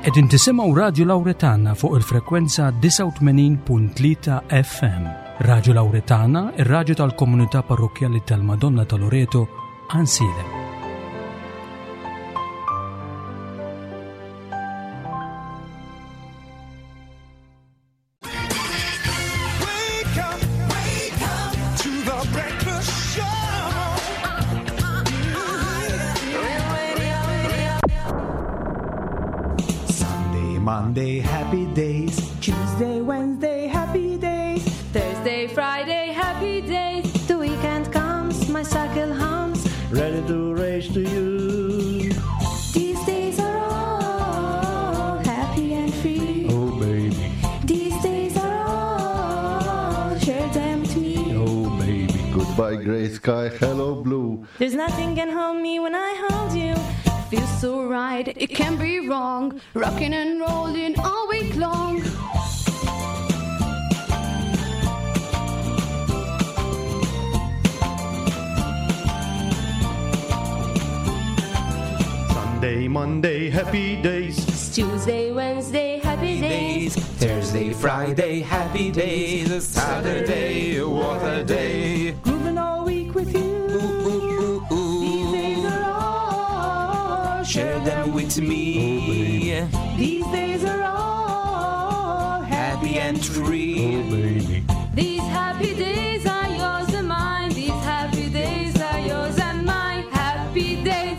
Qegħdin tisimgħu Radju Lawretana fuq il-frekwenza 89.3 FM. Radju Lawretana, ir-radju tal-komunità parrokkjali tal-Madonna ta' Loreto, Għansielem. Sunday, Monday, happy days. Tuesday, Wednesday, happy days. Thursday, Friday, happy days. The weekend comes, my cycle hums. Ready to race to you. These days are all happy and free. Oh, baby. These days are all, share them with me. Oh, baby. Goodbye, gray sky. Hello, blue. There's nothing can hold me when I hold you. Feels so right, it can't be wrong. Rocking and rolling all week long. Sunday, Monday, happy days. It's Tuesday, Wednesday, happy days. Thursday, Friday, happy days. Saturday, what a day. Grooving all week with you. Ooh, ooh, These ooh. days are all, Share them with me. These days are all Happy and free. Oh, baby. These happy days are yours and mine. These happy days are yours and mine. Happy days.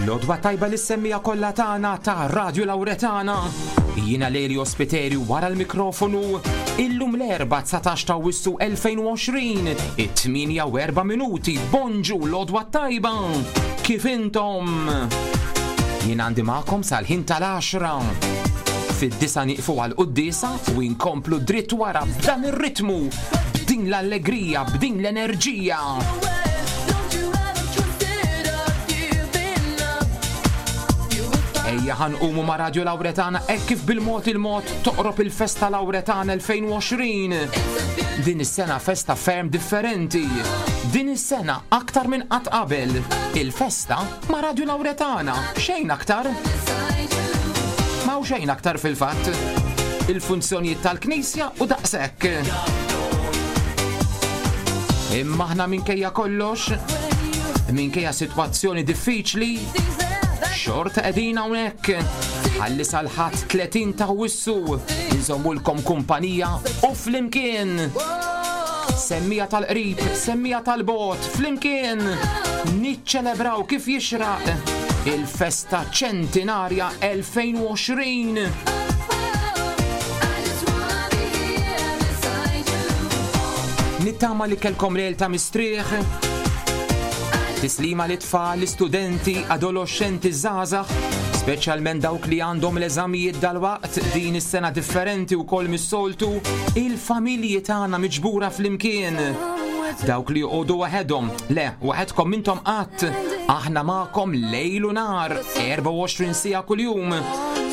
L-odwa tajba li semmija kollha tagħna ta' Radio Lauretana. Jiena Leli Ospiteri wara l-mikrofonu illum l-erba' 19 ta' Awwissu 2020, it-8 u 4 minuti. Bonġu l-odwa tajba. Kif intom? Jien għandi magħkom sal-ħin tal-10. Fid-disa nieqfu għal quddiesa u inkomplu dritt wara b'dan ir-ritmu, b'din l-allegrija, b'din l-enerġija. Ejja ħanqumu ma' Radio Lauretana hekk kif bil-mod il-mod toqrob il-festa Lauretana 2020. Din is-sena festa ferm differenti. Din is-sena aktar minn qatt qabel. Il-festa ma' Radio Lauretana, xejn aktar. Ma' xejn aktar fil-fatt. Il-funzjonijiet tal-Knisja u daqshekk. Imma aħna minkejja kollox, minkejja sitwazzjoni diffiċli, xorta qegħdin hawnhekk. Ħalli sal-ħadd 30 ta' Awwissu nżommulkom kumpanija u flimkien. Semmija tal-qrib, semmija tal-bot, flimkien niċċelebraw kif jixraq il-festa ċentinarja 2020. Nittama li kelkom lejl ta' mistrieħ. Tislima li tfal, l-istudenti, adolescenti żgħażagħ, speċjalment dawk li għandhom l-eżamijiet dalwaqt din is-sena differenti wkoll mis-soltu, il-familji tagħna miġbura flimkien. Dawk li joqogħdu waħedhom, le, waħedkom intom qatt, aħna magħkom lejl u nar, 24 siegħa kuljum.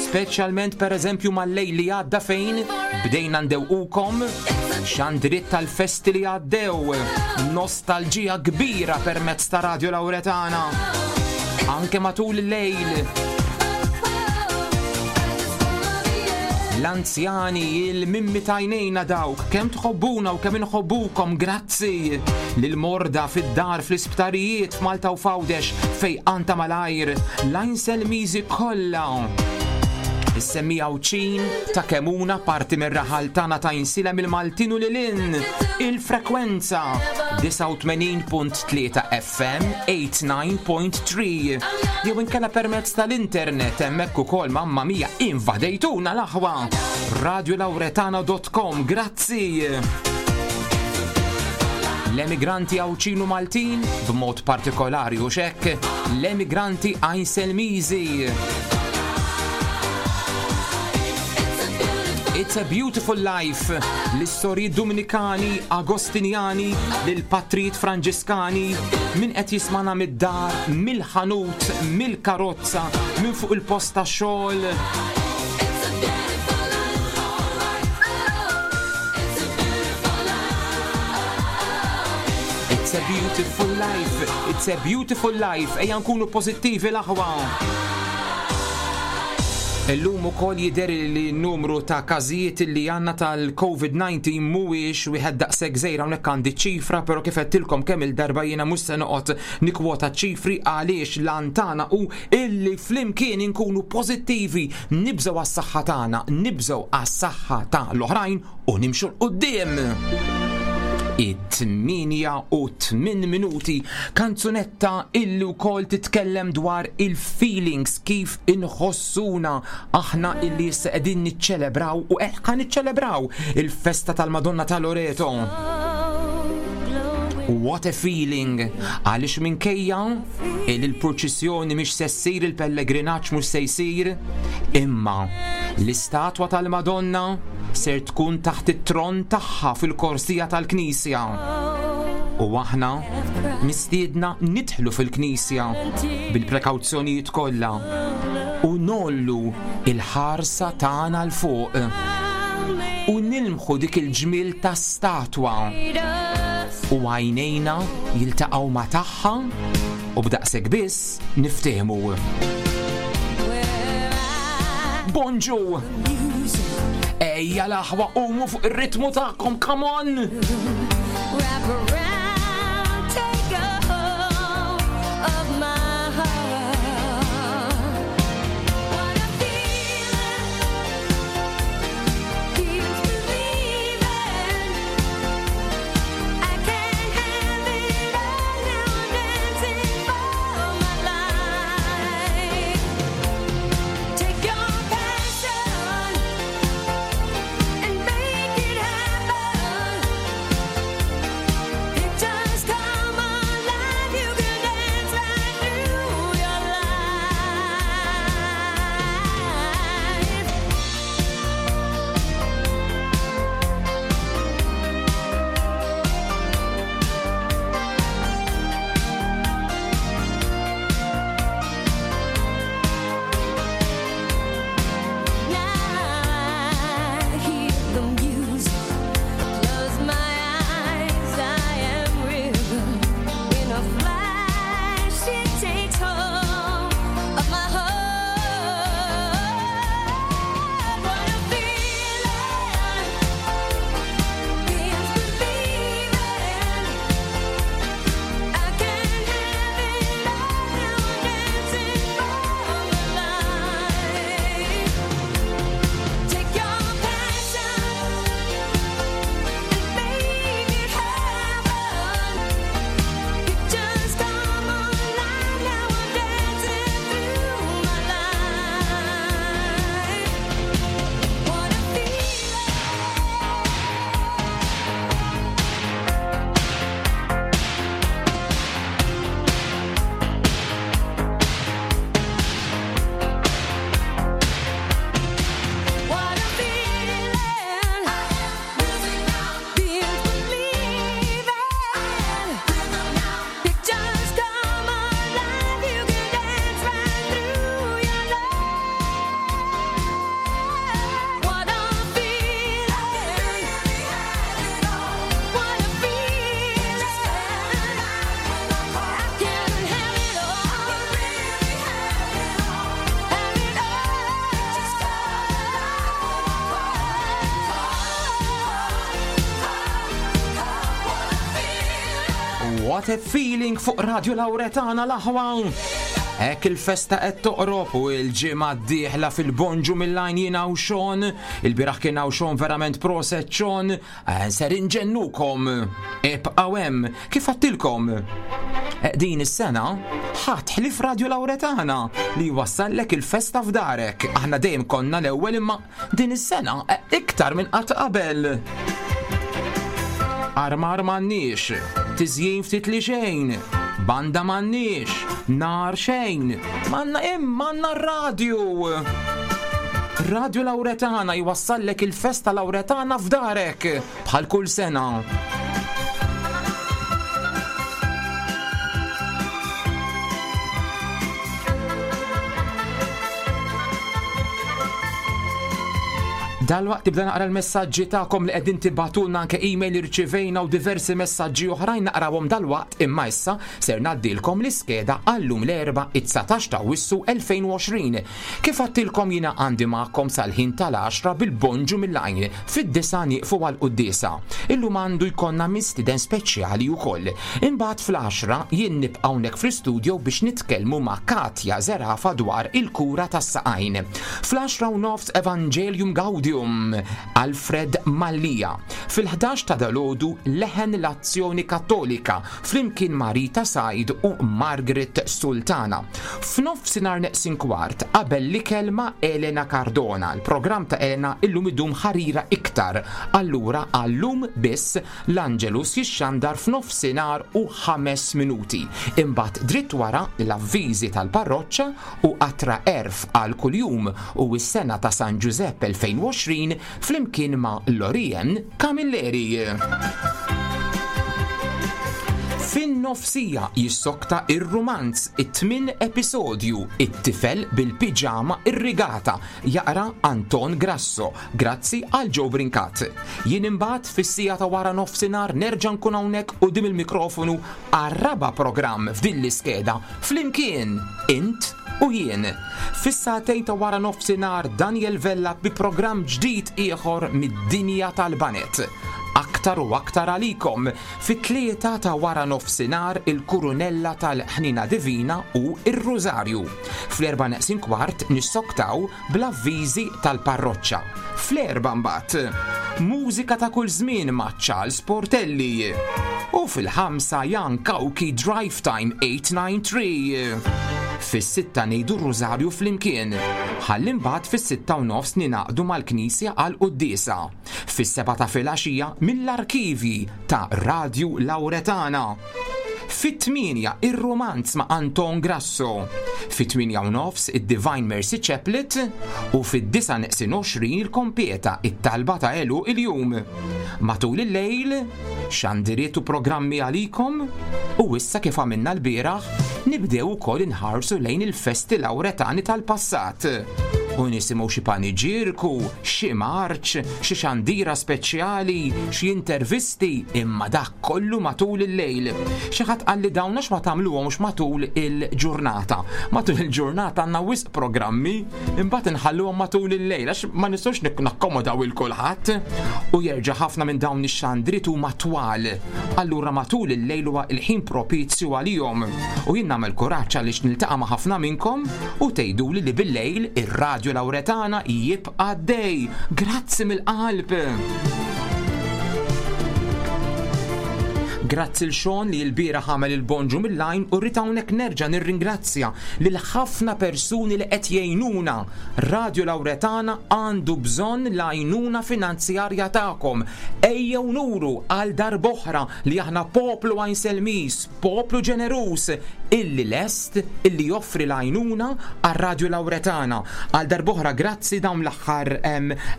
Speċjalment pereżempju mal-lejl li għadda fejn bdejna ndewqukom xandriet tal-festi li għaddew, nostalġija kbira permezz ta' Radio Lauretana. Anke matul il-lejl. L-anzjani, il-mimmi tajnejna dawk, kemm tħobbuna u kemm inħobbukom, grazzi. Lil-morda fid-dar, fl-isptarijiet, f'Malta u f'Għawdex, fejqan ta' malajr, l-Għajnselmiżi kollha. Is-semmi Għawdxin ta' Kemuna parti mir-raħal tagħna ta' Għajnsielem il-Maltin u lil hinn. Il-frekwenza 89.3 FM 89.3 jew inkella permezz tal-internet hemmhekk ukoll mamma mia invadejtuna l-aħwa. Radiolauretana.com grazzi. L-emigranti Għawdxin u Maltin, b'mod partikolari u xekk, l-emigranti Għajnselmiżi. It's a beautiful life. L-istorji Dominikani, Agostinjani, l-patrijiet Franġiskani, min qed jismana mid-dar, mill-ħanut, mill-karozza, minn fuq il-post ta' xogħol. It's a beautiful life, it's a beautiful life, ejja nkunu pozittivi l-aħwa. Illum ukoll jidher li n-numru ta' każijiet li għandna tal-COVID-19 mhuwiex wieħed daqshekk żgħir hawnhekk għandi ċifra, però kif għedtilkom kemm il-darba jiena mhux se noqgħod nikkwota ċifri għaliex l-għan tagħna hu illi flimkien inkunu pożittivi, nibżgħu għas-saħħa tagħna, nibżgħu għas-saħħa ta' l-oħrajn u nimxu 'l quddiem. It-8 u 8 minuti kanzunetta illi wkoll titkellem dwar il-feelings kif inħossuna aħna illi issa qegħdin niċċelebraw u qed ħa niċċelebraw il-festa tal-Madonna ta' Loreto. What a feeling! Għaliex minkejja illi l-purċissjoni mhix se ssir, il-pellegrinaġġ mhux se jsir, imma l-istatwa tal-Madonna ser tkun taħt it-tron tagħha fil-korsija tal-Knisja. U aħna mistiedna nidħlu fil-Knisja bil-prekawzjonijiet kollha u nollu il-ħarsa tagħna 'l fuq u nilmħu dik il-ġmiel ta' statwa u għajnejna jiltaqgħu ma' tagħha u b'daqshekk biss niftehmu. Bonġu! Ejja l-aħwa qumu fuq ir-ritmu tagħkom, come on! Wrap around, take a hold of my heart. What a feeling, feels believing. I can't have it all now. I'm dancing for my life. Take your passion and make it happen. Pictures come alive. You can dance right through your life. Now I hear the music. Close my eyes, I am rhythm. In a flash, it takes hold of my heart. What a feeling, feels believing. I can't have it all now. I'm dancing for my life. Take your passion and make it happen. Pictures come alive now. I'm dancing through my life. What a feeling. What a feeling, feels believing. Pictures come alive, you can dance right through your life. What a feeling, what a feeling. I can have it all, have it What a feeling fuq Radio Lauretana l-aħwa! Hekk il-festa qed toqrob u l-ġimgħa d-dieħla fil-bonġu mill-għajn jiena u Sean, il-bieraħ kien hawn Sean verament proset Sean, eh, ser inġennukom. Ibqgħu hemm, kif għattilkom. Eh, din is-sena ħadd ħlief Radio Lauretana li jwassallek il-festa f'darek. Aħna dejjem konna l-ewwel imma din is-sena eh, iktar minn qatt qabel. Armar m'għandniex, tiżjin ftit li xejn, banda m'għandniex, nar xejn, m'għandna imma għandna radju. Radio Lauretana jwassallek il-festa Lauretana f'darek bħal kull sena. Dalwaqt tibda naqra l-messaġġi tagħkom li qegħdin tibgħatulna anke email irċivejna u diversi messaġġi oħrajn naqrawhom dalwaqt imma issa ser ngħaddilkom l-iskeda għallum l-Erbgħa it-19 ta' Awwissu 2020. Kif għadtilkom jiena għandi magħkom sal-ħin tal-għaxra bil-bonġu mill-għajn, fid-disgħa nieqfu għall-quddiesa. Illum għandu jkollna mistieden speċjali wkoll. Imbagħad fl-għaxra jien nibqa' hawnhekk fl-istudio biex nitkellmu ma' Katja Zerafa dwar il-kura tas-saqajn. Fl-għaxra u nofs Evangelium Gaudium, Alfred Mallia. Fil-ħdax ta' dalgħodu Leħen l-Azzjoni Kattolika flimkien ma' Rita Said u Margaret Sultana. F'nofsinhar neqsin kwart qabel l-ikel ma' Elena Cardona. Il-programm ta' Elena illum idum ħarira iktar, allura għal-lum biss L-Angelus jixxandar f'nofsinhar u ħames minuti. Imbagħad dritt wara l-avviżi tal-parroċċa u qatra għerf għal kuljum u s-sena ta' San Ġużepp 2020 flimkien ma' Lorien Camilleri. Fin-nofsija jissokta ir-rumanz it-tmien episodju It-tifel bil-piġama irrigata jaqra Anton Grasso grazzi għal Joe Brincat. Jien imbagħad fis-siegħa ta' wara nofsinhar nerġa' nkun hawnhekk quddiem il-mikrofonu għar-raba' programm f'din l-iskeda flimkien int u jien. Fis-sagħtejn ta' wara nofsinhar Daniel Vella bi programm ġdid ieħor mid-dinja tal-baned. Aktar u aktar għalikom fit-tlieta ta' wara nofsinhar il-Kurunella tal-Ħniena Divina u r-Rużarju. Fl-erbgħa neqsin kwart nissoktaw bl-avviżi tal-parroċċa. Fl-erbgħa mbagħad, mużika ta' kull żmien ma' Charles Portelli. U fil-ħamsa Jan Cauchi Drive Time 893. Fis-sitta ngħidu r-Rużarju flimkien. Ħalli mbagħad fis-sitta u nofs ningħaqdu mal-Knisja għall-quddiesa. Fis-sebgħa ta' filgħaxija mill-arkivji ta' Radju Lauretana. Fit-tmienja ir-Rumanz ma' Anton Grasso. Fit-tmienja u nofs id-Divine Mercy Chaplet u fid-disgħa neqsin 20 il-Kompieta it-talba ta' għeluq il-jum. Matul il-lejl, xandiriet u programmi għalikom u issa kif għamilna lbieraħ, nibdew ukoll inħarsu lejn il-festi Lawretani tal-passat u nisimgħu xi paniġierku, xi marċ, xi xandira speċjali, xi intervisti, imma dak kollu matul il-lejl. Xi ħadd qalli dawn għax ma tagħmluhomx matul il-ġurnata. Matul il-ġurnata għandna wisq programmi, imbagħad inħalluhom matul il-lejl għax ma nistgħux nakkomodaw il kulħadd. U jerġa' ħafna minn dawn ix-xandriet huma twal. Allura matul il-lejl huwa il-ħin propizju għalihom. U jien nagħmel kuraġġ għaliex niltaqa' ma' ħafna minnkom u tgħiduli li bil-lejl ir-Radju Lawretana jibqa' għaddej. Grazzi mill-qalb! Grazzi l Sean li l-bieraħ għamel il-bonġu mill-lajn u rrid hawnhekk nerġa' nirringrazzja lil ħafna persuni li qed jgħinuna. Radio Lawretana għandu bżonn l-għajnuna finanzjarja tagħkom. Ejjew nuru għal darb'oħra li aħna poplu Għajnselmiż, Poplu ġeneruż illi lest illi joffri l-għajnuna għar-Radju Lawretana. Għal darb'oħra grazzi dawn l-aħħar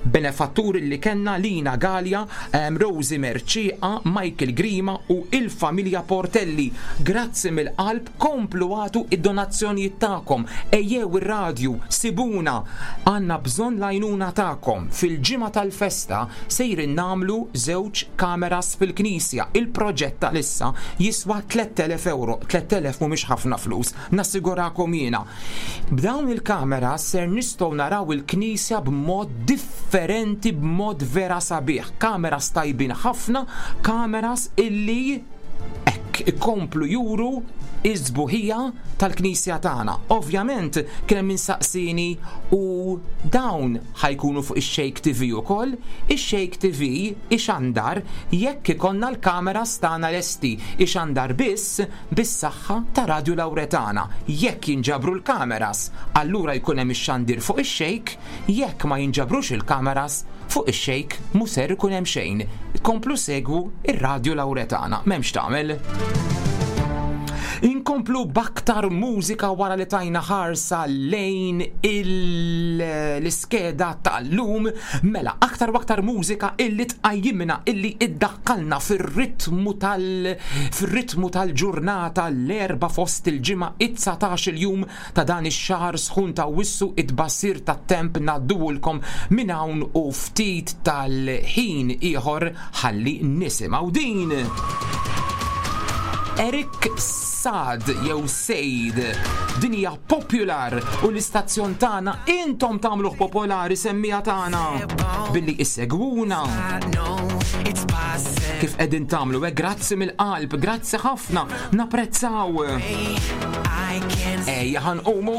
benefatturi li kellna Lina Galea, Rosie Mercieqa, Michael Grima u il-familja Portelli. Grazzi mill-qalb komplu agħtu id-donazzjonijiet tagħkom. Ejjew ir-radju, sibuna. Għandna bżonn l-għajnuna tagħkom. Fil-ġimgħa tal-festa Sejrin nagħmlu żewġ kameras fil-knisja. Il-proġett għalissa jiswa 3,000 ewro. 3,000 mhumiex ħafna flus, nassigurakom jiena. B'dawn il-kameras ser nistgħu naraw il-knisja b'mod differenti, b'mod vera sabiħ. Kameras tajbin ħafna, kameras illi hekk ikomplu juru is-sbuħija tal-knisja tagħna. Ovvjament kien hemm min saqsieni u dawn ħa jkunu fuq ix-Shake TV ukoll, ix-Shake TV ixandar jekk ikollna l-kameras tagħna lesti, ixandar biss bis-saħħa ta' Radju Lawretana. Jekk jinġabru l-kameras, allura jkun hemm ix-xandir fuq ix-Shake, jekk ma jinġabrux il-kameras, fuq ix-Shake mhu ser ikun hemm xejn. Komplu segwu r-Radju Lawretana, m'hemmx tagħmel. Inkomplu b'aktar mużika wara li tajna ħarsa lejn l-iskeda tal-lum mela aktar u aktar mużika illi tqajjimna illi iddaħħalna fir-ritmu tal fir-ritmu tal-ġurnata l-erba' fost il-ġimgħa it-19 il-jum ta' dan ix-xahar sħun ta' Awwissu it-tbassir tat-temp ngħadduhulkom minn hawn u ftit tal-ħin ieħor ħalli nisimgħu din. Eric Saad jew Seid. Din hija Popular u l-istazzjon tagħna intom tagħmluh popolari semmija tagħna billi issegwuna. Kif qegħdin tagħmlu hekk grazzi mill-qalb, grazzi ħafna, napprezzaw. Ejja ħanqumu.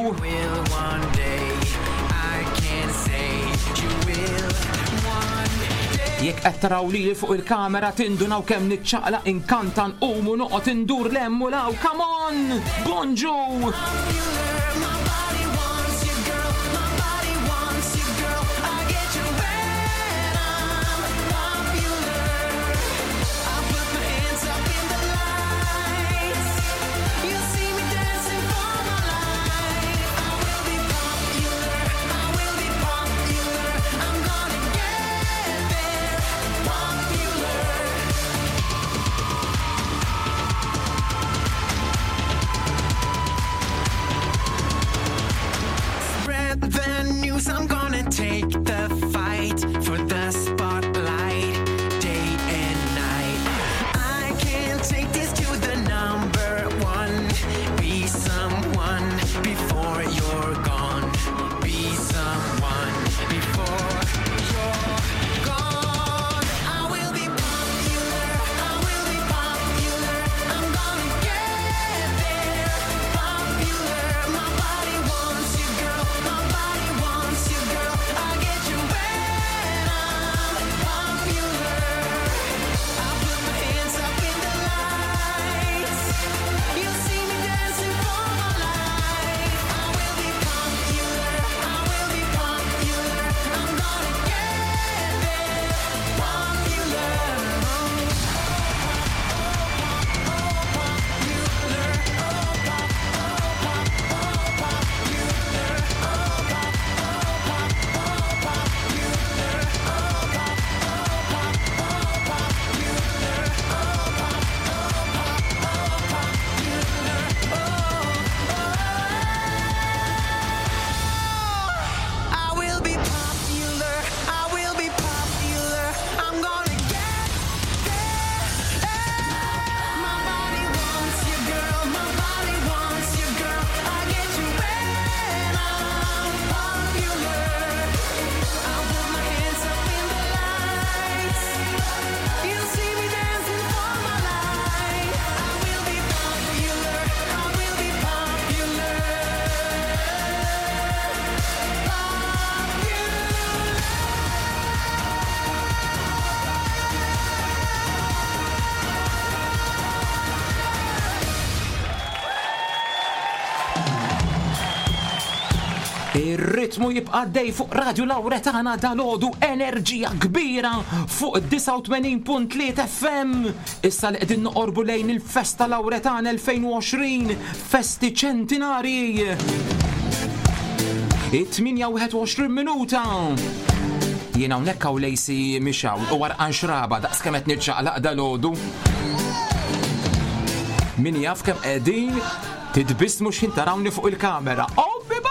Jekk qed taraw lili fuq il-kamera tindunaw kemm niċċaqlaq inkanta nqum u noqgħod indur 'l hemm u 'l hawn. Come on! Bonġu! Spread the news, I'm gonna take the fight for the spotlight, day and night. I can't take this to the number one. Be someone before you're gone. Be someone before you're gone. I will be popular. I will be popular. I'm gonna get there. Popular. My body wants you, girl. My body wants you, girl. I get you when I'm popular. I put my hands up in the lights. You'll see me dancing for my life. I will be popular. I will be popular. I'm gonna get there. Popular. I will be popular. I will be popular. I'm gonna get there. My body wants you, girl. My body wants you, girl. I get you when I'm popular. I put my hands up in the lights. You'll see me dancing for my life. I will be popular. I will be popular. Ir-ritmu jibqa' dej fuq Radio Lauretana dalodu enerġija kbira fuq 89.3 FM. Issa li qegħdin noqorbu lejn il-Festa Lauretana 2020, festi ċentinarji. It-8 minuta. Jiena hawnhekk hawn lejsi mixaw u warqan xraba daqs kemm qed niċċaqlaq dalodu. Min jaf kemm qegħdin titbissmu x'ħin tarawni fuq il-kamera. Oh, biba!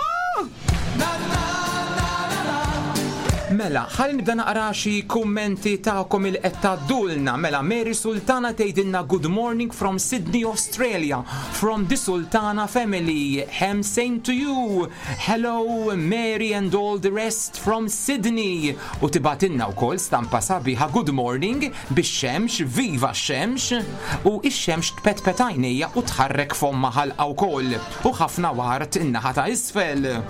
Mela, ħalli nibda naqra xi kummenti tagħkom il qed tgħaddulna. Mela, Mary Sultana tgħidilna good morning from Sydney, Australia, from the Sultana family. Hem same to you. Hello Mary and all the rest from Sydney. U tibatilna wkoll stampa sabiħa good morning bix-xemx, viva x-xemx. U ix-xemx tpetpet għajnejja u tħarrek fomma ħalqa wkoll. U ħafna wart in-naħa ta' isfel.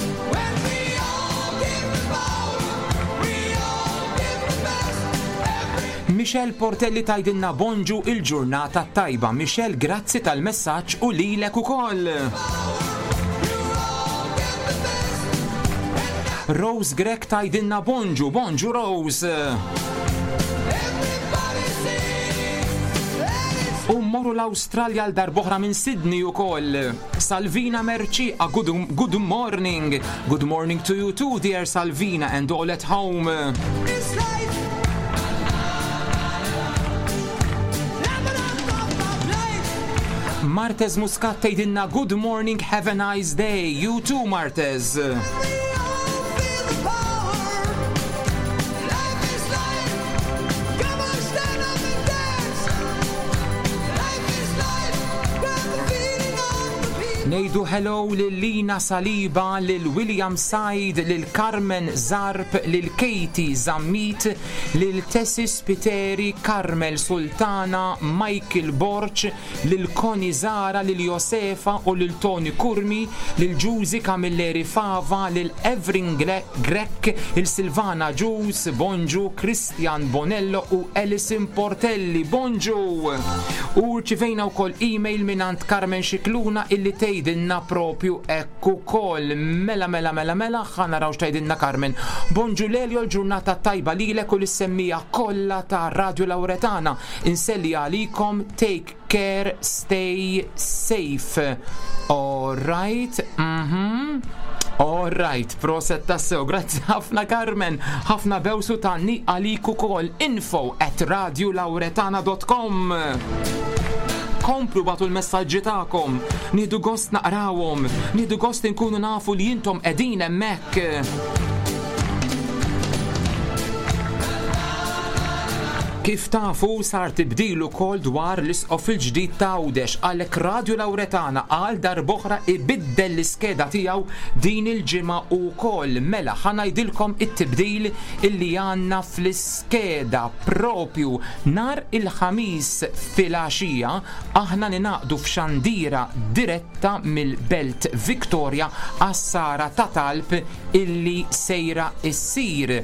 Michelle Portelli tgħidilna bonġu il-ġurnata tajba. Michelle, grazzi tal-messaġġ u lilek ukoll. Rose Grek tgħidilna bonġu, bonġu Rose. U mmorru l-Awstralja għal darb'oħra minn Sydney ukoll. Salvina Mercieca, good, good morning. Good morning to you too, dear Salvina, and all at home. Martez Muscat tgħidilna good morning, have a nice day. You too, Martez. Ngħidu hello lil Lina Saliba, lil William Said, lil Carmen Zarb, lil Katie Zammit, lil Tessie Spiteri, Carmel Sultana, Michael Borg, lil Connie Zahra, lil Josefa u lil Tony Curmi, lil Ġużi Camilleri Fava, lil Evrin Grech, il Silvana Agius, Bonġu, Christian Bonello u Alison Portelli. Bonġu! U rċivejna wkoll email mingħand Carmen Scicluna illi tgħidilna propju hekk ukoll. Mela mela mela mela ħa naraw x'tgħidilna Carmen. Bonġu Lelio l-ġurnata tajba lilek u lis-semmiegħa kollha ta' Radio Lauretana. Inselli għalikom take care stay safe. All right. All right, proset tassew, grazzi ħafna Carmen, ħafna bewsu tanni għalik ukoll info at radiolauretana.com. Komplu batu l-messaġġi tagħkom, nieħdu gost naqrawhom, nieħdu gost inkunu nafu li intom qegħdin hemmhekk. Kif tafu sar tibdil ukoll dwar l-Isqof il-ġdid ta' Għawdex għalhekk Radju Lawretana għal darb'oħra ibiddel l-iskeda tiegħu din il-ġimgħa ukoll. Mela ħa ngħidilkom it-tibdil illi għandna fl-iskeda propju nhar il-Ħamis filgħaxija aħna ningħaqdu f'xandira diretta mill-Belt Victoria għas-sara ta' talb illi sejra ssir.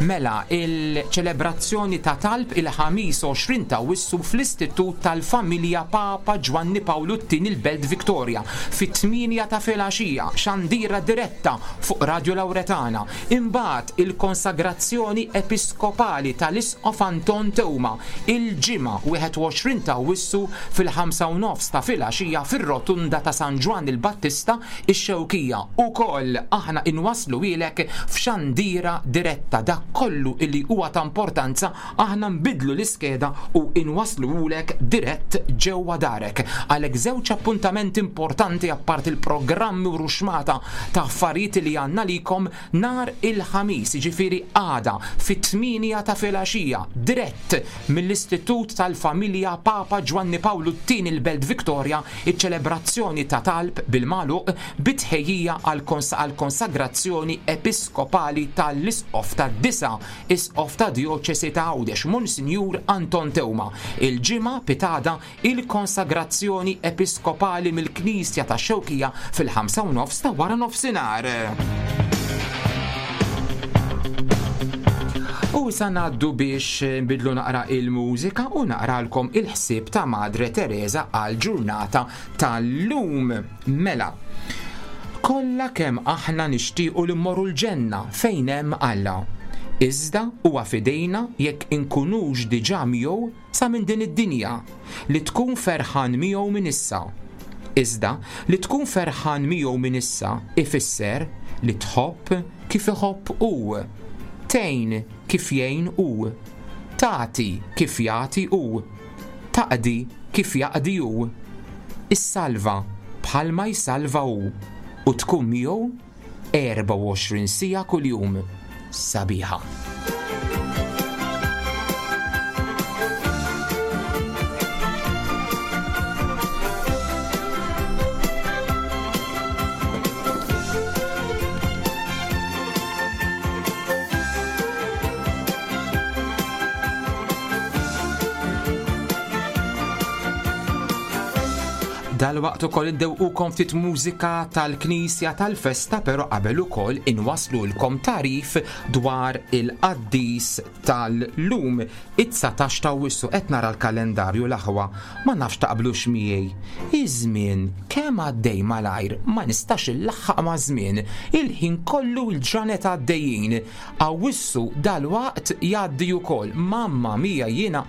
Mela, il-ċelebrazzjoni ta' talb il-Ħamis 20 ta' Awwissu fl-Istitut tal-Familja Papa Ġwanni Pawlu t-Tieni l-Belt Victoria, fit-tmienja ta' filgħaxija, xandira diretta fuq Radio Lauretana. Imbagħad il-konsagrazzjoni episkopali tal-Isqof Anton Teuma, il-Ġimgħa 21 ta' Awwissu fil-ħamsa u nofs ta' filgħaxija fir-Rotunda ta' San Ġwann il-Battista, Ix-Xewkija, ukoll aħna inwassluhielek f'xandira diretta dak kollu illi huwa ta' importanza aħna nbiddlu l-iskeda u inwassluhulek dirett ġewwa darek. Għalhekk żewġ appuntamenti importanti apparti l-programmi u ruxmata ta' affarijiet li għandna għalikom nhar il-Ħamis, jiġifieri għada fit-tmienja ta' filgħaxija, dirett mill-Istitut tal-Familja Papa Ġwanni Pawlu t-Tieni l-Belt Victoria, iċ-ċelebrazzjoni ta' talb bil-magħluq bi tħejjija għall-konsagrazzjoni episkopali ta' l-Isqof tad-disa' Isqof tad-Djoċesi ta' Għawdex, Monsinjur Anton Teuma, il-Ġimgħa pitgħada il-konsagrazzjoni episkopali mill-Knisja tax-Xewkija fil-ħamsa u nofs ta' wara nofsinhar. U issa ngħaddu biex nbidlu naqra il-mużika u naqralkom il-ħsieb ta' Madre Teresa għal ġurnata tal-lum. Mela, kollha kemm aħna nixtiequ li mmorru l-ġenna fejn hemm Alla. Iżda huwa f'idejna jekk inkunux diġà miegħu sa minn din id-dinja, li tkun ferħan miegħu minn issa. Iżda, li tkun ferħan miegħu minn issa ifisser li tħobb kif iħobb hu, tgħin kif jgħin hu, tagħti kif jagħti hu, taqdi kif jaqdi hu, issalva bħalma jsalva hu, u tkun miegħu 24 siegħa kuljum. Sabiħa. Dalwaqt ukoll indewqukom ftit mużika tal-Knisja tal-festa però qabel ukoll inwaslulkom tagħrif dwar il-qaddis tal-lum it-19 ta' Awwissu qed nara l-kalendarju l-aħwa ma nafx taqblux miegħi. Iż-żmien kemm għaddej malajr ma nistax illaħħaq maż-żmien. Il-ħin kollu l-ġranet għaddejjin. Awwissu dalwaqt jgħaddi ukoll. Mamma mia jiena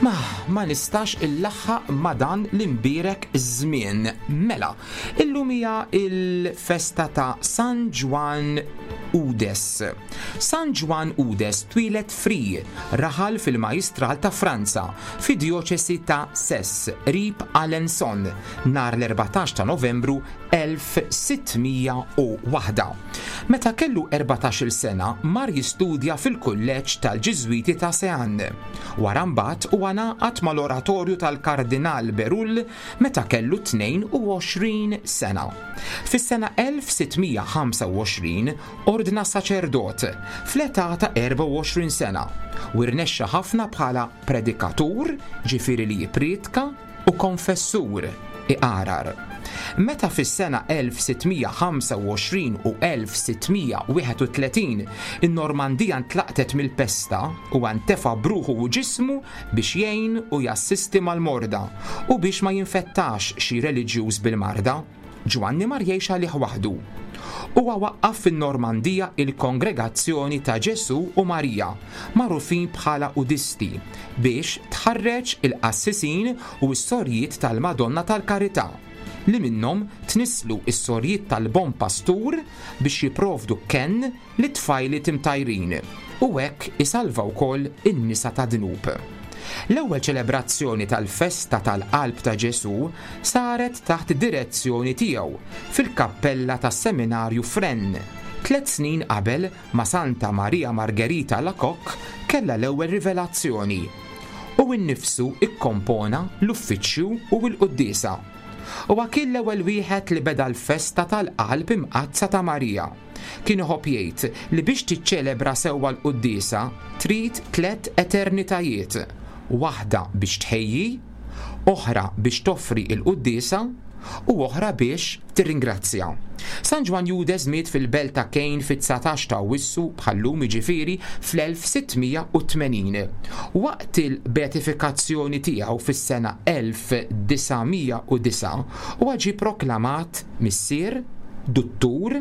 Ma, ma nistax illaħħaq ma dan l-imbierek żmien. Mela, illum hija il-festa ta' San Ġwann Udes. San Ġwann Udes twieled Fri, raħal fil-Majjistral ta' Franza, fid-djoċesi ta' Sess, qrib Alençon, nhar l-14 ta' Novembru 1601. Meta kellu 14-il sena mar jistudja fil-kulleġġ tal-Ġiżwiti ta' Sean. Wara mbagħad huwa ngħaqad mal-Oratorju tal-Kardinal Berulle meta kellu 22 sena. Fis-sena 1625 ordna saċerdot fl-età ta' 24 sena u rnexxa ħafna bħala predikatur, ġifieri li jipprietka, u konfessur, iqarar. Meta fis-sena 1625 u 1631 in-Normandija ntlaqtet mill-pesta, huwa ntefa' b'ruħu u ġismu biex jgħin u jassisti mal-morda u biex ma jinfettax xi reliġjuż bil-marda. Ġwanni mar jgħix għalih waħdu. Huwa waqqaf fin-Normandija il-Kongregazzjoni ta' Ġesù u Marija, magħrufin bħala Udisti, biex tħarreġ il-qassisin u s-sorijiet tal-Madonna tal-Karità, li minnhom tnisslu s-sorijiet tal-Bon Pastur biex jipprovdu kenn lit-tfajliet imtajrin u hekk isalva wkoll in-nisa tad-dnub. L-ewwel ċelebrazzjoni tal-festa tal-Qalb ta' Ġesù saret taħt id-direzzjoni tiegħu fil-kappella tas-Seminarju f'Rennes, tliet snin qabel ma Santa Maria Margherita Alacoque kellha l-ewwel rivelazzjoni. Hu nnifsu kkompona l-uffiċċju u l-quddiesa. Huwa kien l-ewwel wieħed li beda l-festa tal-Qalb Imqaddsa ta' Marija. Kien iħobb jgħid li biex tiċċelebra sewwa l-quddiesa trid tlett eternitajiet, waħda biex tħejji, oħra biex toffri l-quddiesa u oħra biex tirringrazzja. San Ġwann Judes miet fil-belt ta' Caen fit-19 ta' Awwissu bħal-lum jiġifieri fl-1680. Waqt il-beatifikazzjoni tiegħu fis-sena 1909 huwa ġie proklamat Missier, Duttur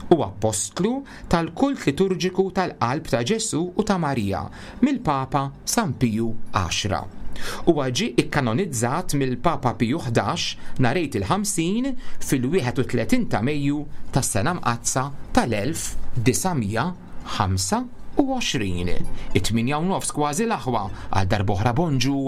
u Appostlu tal-kult liturġiku tal-Qalb ta' Ġesù u ta' Marija mill-Papa San Piju Għaxra. Huwa ġie kkanonizzat mill-Papa Piju 11 nhar Għid il-Ħamsin fil-31 ta' Mejju tas-Sena Mqaddsa tal-1925. It-tmienja u nofs kważi l-aħwa, għal darb'oħra bonġu!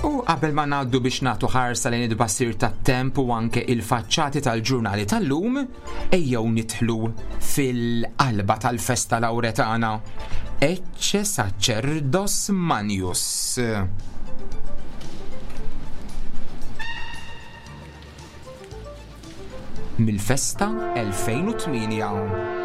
U qabel ma ngħaddu biex nagħtu ħarsa lejn it-tbassir tat-temp u anke il-faċċati tal-ġurnali tal-lum, ejjew nidħlu fil-qalba tal-festa Lawretana. Ecce sacerdos Manius. Mill-festa 2008.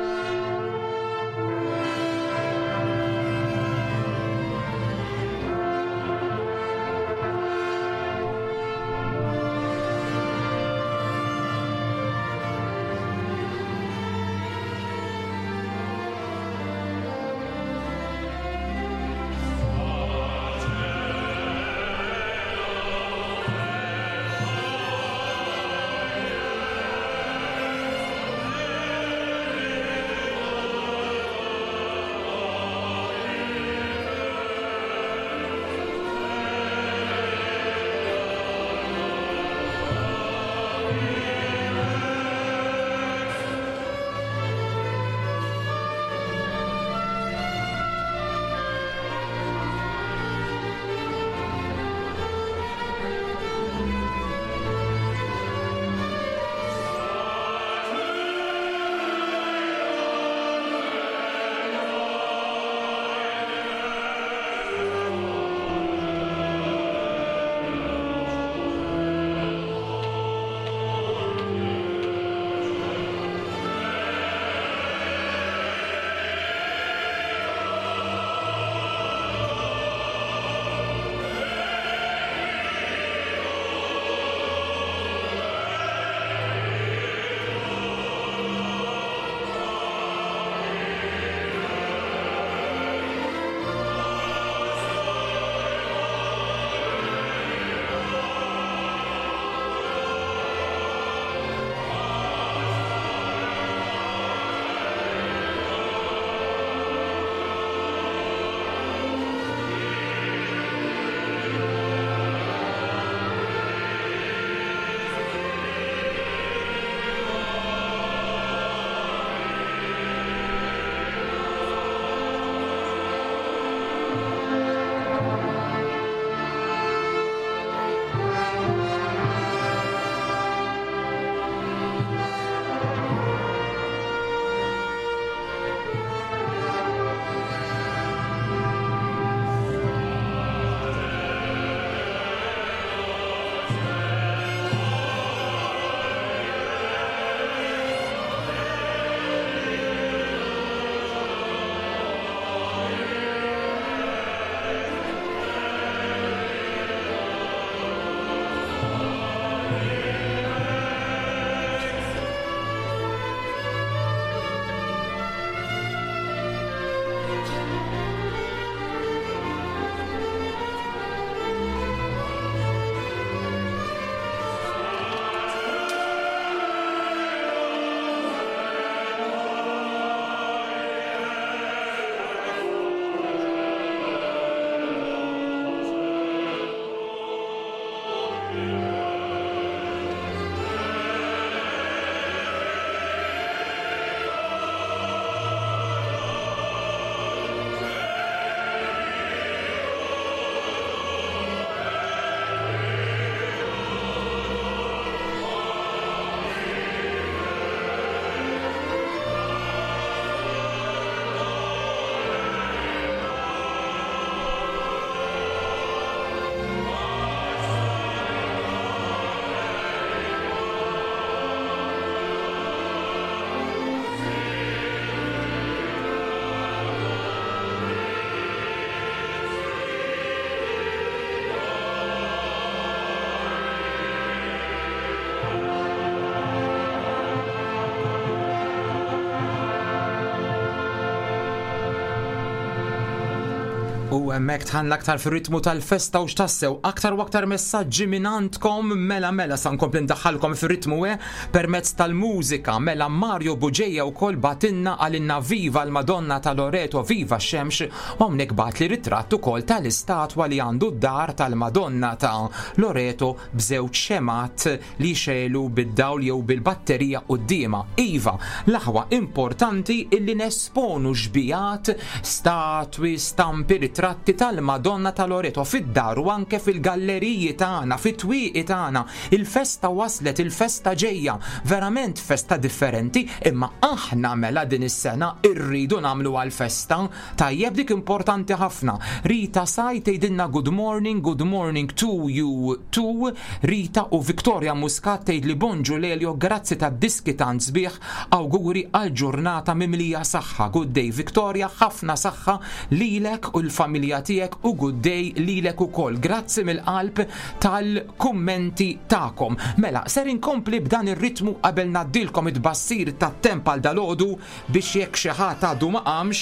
U hemmhekk tħanna aktar fir-ritmu tal-festa u x'tassew aktar u aktar messaġġi minn għandkom mela mela sa nkompli ndaħħalkom fir-ritmu eh permezz tal-mużika mela Mario Buġeja wkoll batinna għalinna viva l-Madonna ta' Loreto viva x-xemx u hawnhekk bagħatli ritratt ukoll tal-istatwa li għandu d-dar tal-Madonna ta' Loreto b'żewġ xemgħat li jxegħlu bid-dawl jew bil-batterija quddiemha. Iva, l-aħwa importanti illi nesponu xbijat, statwi, stampi, ritratti tal-Madonna ta' Loreto fid-dar u anke fil-galleriji tagħna, fit-twieqi tagħna. Il-festa waslet, il-festa ġejja. Verament festa differenti, imma aħna mela din is-sena rridu nagħmluha l-festa. Tajjeb dik importanti ħafna. Rita Saj tgħidilna good morning, good morning to you too. Rita u Victoria Muscat tgħidli bonġu Lelio, grazzi tad-diski tant sbieħ, awguri għal ġurnata mimlija saħħa. Good day Victoria, ħafna saħħa lilek u l-familja tiegħek u good day lilek ukoll. Grazzi mill-qalb tal-kummenti tagħkom. Mela, ser inkompli b'dan ir-ritmu qabel ngħaddilkom it-tbassir tat-temp għal dalgħodu Biex jekk xi ħadd għadu ma qamx,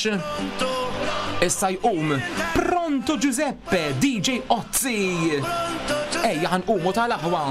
issa jqum. Pronto Giuseppe, DJ Ozzi! Ejja ħa nqumu tal-aħwa.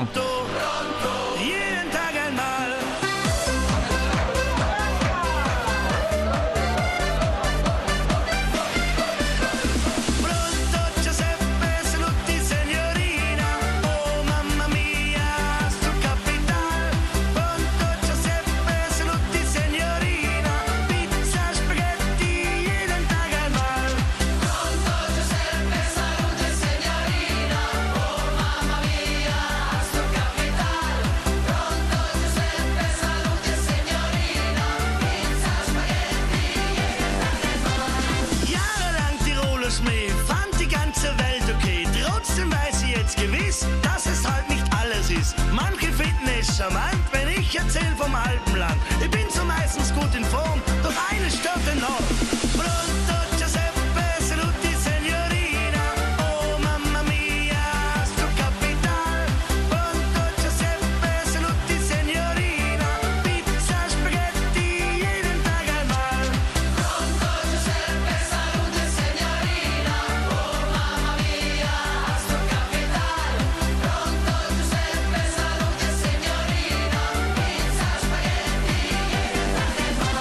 Jahrelang Tiroler Schmäh, fand die ganze Welt okay. Trotzdem weiß ich jetzt gewiss, dass es halt nicht alles ist. Manche finden es charmant, wenn ich erzähl vom Alpenland. Ich bin so meistens gut in Form, doch eines stört enorm. Pronto Giuseppe, saluti signorina. Oh mamma mia, sto capital. Pronto Giuseppe, saluti signorina. Pizza, spaghetti, jeden Tag einmal. Pronto Giuseppe, saluti signorina. Oh mamma mia, sto capital. Pronto Giuseppe, saluti signorina. Pizza, spaghetti, jeden Tag einmal.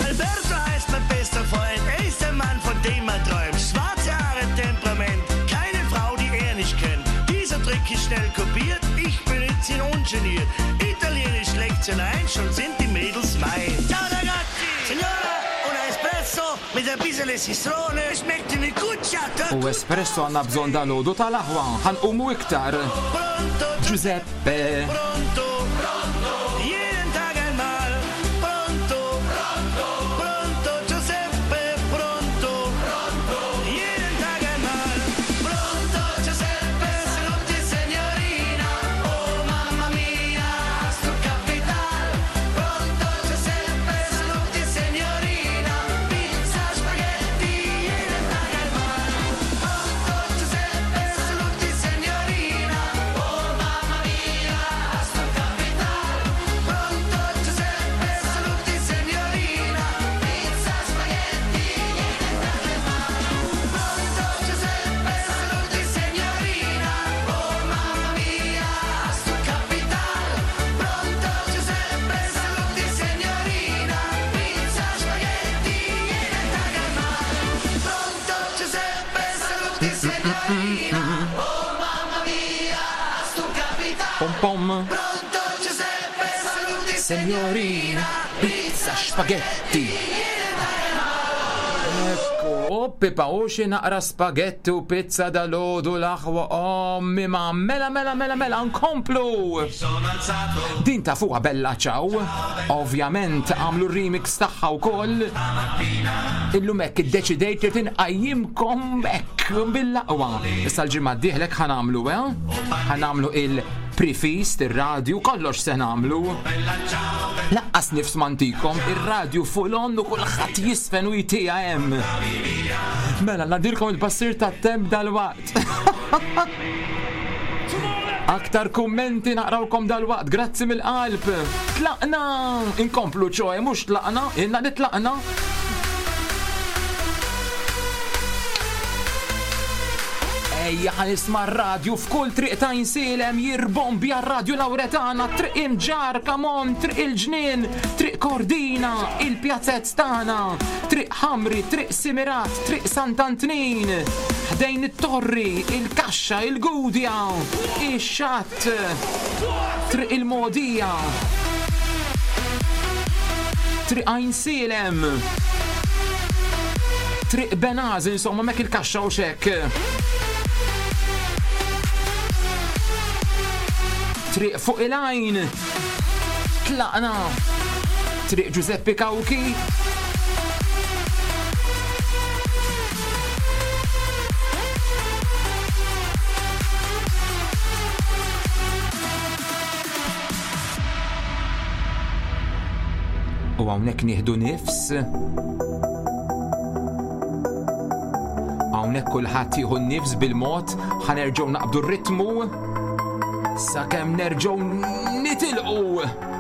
Alberto heißt mein bester Freund, er ist der Mann, von dem man träumt. Schwarze Haare, Temperament, keine Frau, die er nicht kennt. Dieser Trick ist schnell kopiert, ich benütze ihn ungeniert. Italienisch Lektion ein, schon sind die Mädels mein. Ciao ragazzi! Signora, un espresso mit ein bisschen Citrone, schmeckt wie gut, ja, U espresso għandna bżonn dal-għodu tal-aħwa, ħa nqumu iktar. Giuseppe. Pronto, jeden Tag einmal. Pronto, pronto, Giuseppe, pronto, jeden Tag einmal. Pronto, Giuseppe, saluti signorina. Oh mamma mia, sto capital. Pronto, Giuseppe, saluti signorina. Pizza, spaghetti, jeden Tag einmal. Pronto, Giuseppe, saluti signorina. Oh mamma mia, sto capital. Pronto, Giuseppe, saluti signorina. Pizza, spaghetti, jeden Tag einmal. Pronto, Giuseppe, saluti signorina. Oh mamma mia, sto capital. Pronto, Giuseppe, saluti signorina. Pizza, spaghetti, jeden Tag einmal. Pronto, Giuseppe, saluti signorina. Oh mamma mia, sto capital. Pom pom. Pronto Giuseppe, saluti Signorina, pizza, spaghetti. Ekku, u pipa u xi naqra spaghetti u pizza dal-għodu l-aħwa ommi ma mela mela mela mela nkomplu. Din ta' fuqha Bella Ciao. Ovvjament għamlu remix tagħha wkoll. Illum hekk iddeċidejt li tinqajjimkom hekk bil-laqwa. Issa l-ġimgħa d-dieħlek ħa nagħmlu, eh? Ħa nagħmlu il-prefeast, ir-radju, kollox se nagħmlu. Laqqas nifs mantikom, ir-radju full on u kulħadd jisfen u jtija hemm. Mela, nadilkom il-passir tat-temp dal-waqt. Aktar kummenti naqrawkom dal-waqt, grazzi mill-qalb. Tlaqna! Inkomplu ċoe, mhux tlaqna, ilna li tlaqna. Ejja ħa nisma' r-radju f'kull triq ta' Għajnsielem jirbombja r-radju Lawretana, triq Imġarr, come on, triq il-Ġnien, triq Kordina, il-pjazzezz tagħna, triq Ħamri, triq Simirat, triq Sant'Antnin, ħdejn it-Torri, il-Kaxxa, il-Gudja, ix-Xatt, triq il-Mogħdija, triq Għajnsielem, triq Benaz, insomma, mek il-kaxxa u xek. Triq fuq il-għajn. Tlaqna. Triq Giuseppe Cauchi. U hawnhekk nieħdu nifs. Hawnhekk kulħadd jieħu n-nifs bil-mod, ħanerġgħu naqbdu r-ritmu sakemm nerġgħu nitilqu.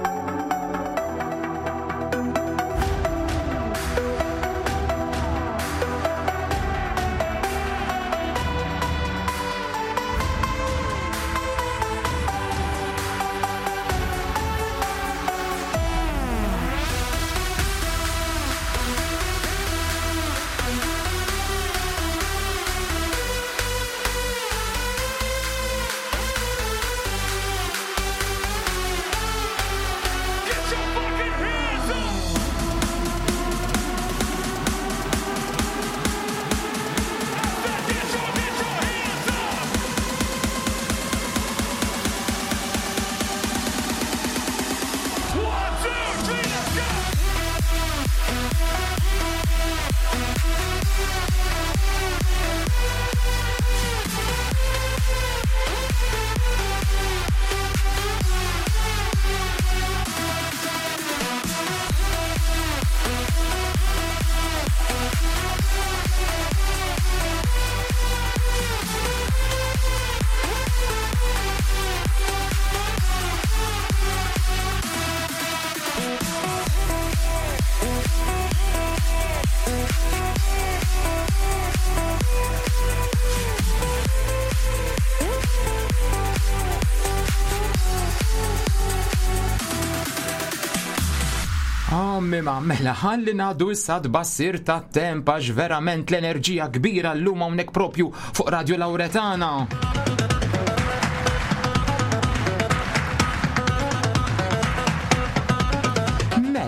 Mima, mela ħalli ngħaddu issa tbassir tat-temp għax verament l-enerġija kbira llum hawnhekk propju fuq Radio Lauretana.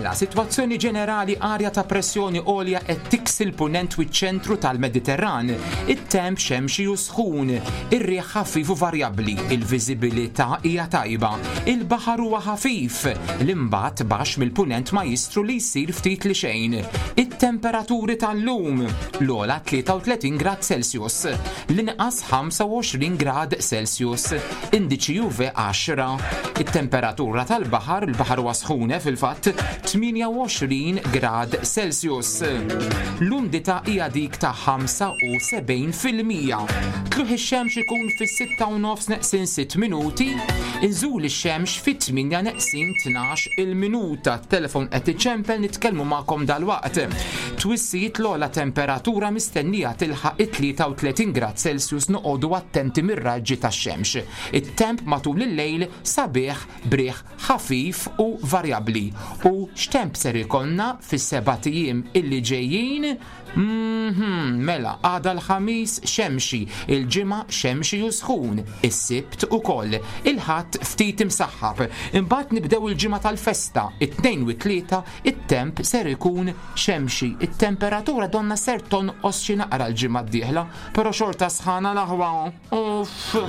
Mela, sitwazzjoni ġenerali arja ta' pressjoni għolja qed tiksi l-punent u ċ-ċentru tal-Mediterran. It-temp xemxi u sħun, ir-riħ ħafif u varjabbli, il-viżibilità hija tajba, il-baħar huwa ħafif, l-imbat baxx mill-punent ma jistru li jsir ftit li xejn. It-temperaturi tal-lum, l-ogħla 33 grad Celsius, l-inqas 25 grad Celsius, indiċi UV 10. It-temperatura tal-baħar, il-baħar huwa sħun eh, fil-fatt, 28 grad Celsius. L-umdità hija dik ta' 75%. Tluħ ix-xemx ikun fis-6 u nofs neqsin 6 minuti, inżul ix-xemx fit-8 neqsin 12 il-minuta. Telefon qed iċempel nitkellmu magħkom dalwaqt. Twissijiet l-ogħla temperatura mistennija tilħaq it-33 grad Celsius noqogħdu attenti mir-raġġi tax-xemx. It-temp matul il-lejl sabiħ b'riħ ħafif u varjabbli. U x'temp ser ikollna fis-sebat ijiem illi ġejjin? Mhm, mela, għada l-Ħamis xemxi, il-Ġimgħa xemxi u sħun, is-Sibt ukoll, il-Ħadd ftit imsaħħab. Imbagħad nibdew il-ġimgħa tal-festa, it-Tnejn u t-Tlieta, it-temp ser ikun xemxi. It-temperatura donna ser tonqos xi naqra l-ġimgħa d-dieħla, però xorta sħana l-aħwa. Uff.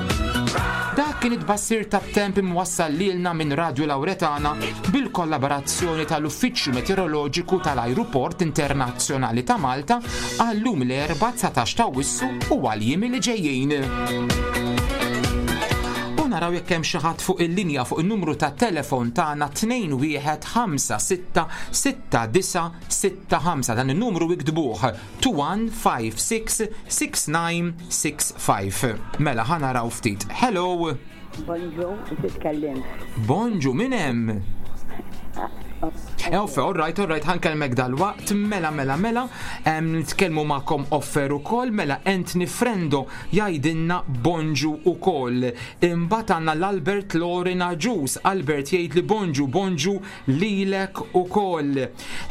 Dak kien it-tbassir tat-temp imwassal lilna minn Radio Lauretana bil-kollaborazzjoni tal-Uffiċċju Meteoroloġiku tal-Ajruport Internazzjonali ta' Malta għal-lum l-Erbgħa 19 ta' Awwissu u għall-jiem li ġejjin. U naraw jekk hemm xi ħadd fuq il-linja fuq in-numru ta' telefon tagħna 21566965 dan in-numru iktbuh 21566965. Mela ħa naraw ftit. Hello. Bonġu, titkellem. Bonġu, min hemm? Offer, all right, all right, ħankellmek dal-waqt, mela, mela, mela, nitkellmu magħkom offer ukoll, mela Anthony Frendo jgħidilna bonġu ukoll. Imbagħad għandna l-Albert Lorin Aġus, Albert jgħid li bonġu, bonġu lilek ukoll.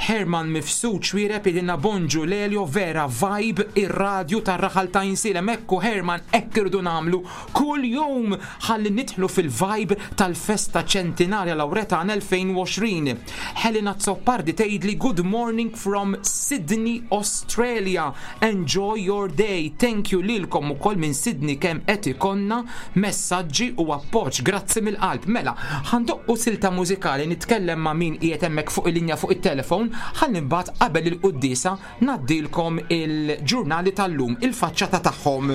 Herman Mifsud Xwireb jgħidilna bonġu Lelio vera vibe ir-radju tar-raħal ta' Insilem. Ekku Herman, hekk irridu nagħmlu kull jum ħalli nidħlu fil-vibe tal-festa ċentinarja Lawretan 2020. Helena Zoppardi tgħidli good morning from Sydney, Australia. Enjoy your day. Thank you lilkom ukoll minn Sydney kemm qed ikollna messaġġi u appoġġ. Grazzi mill-qalb. Mela, ħandoqqu silta mużikali nitkellem ma' min qiegħed hemmhekk fuq il-linja fuq it-telefon ħalli mbagħad qabel il-quddiesa ngħaddilkom il-ġurnali tal-lum, il-faċċata tagħhom.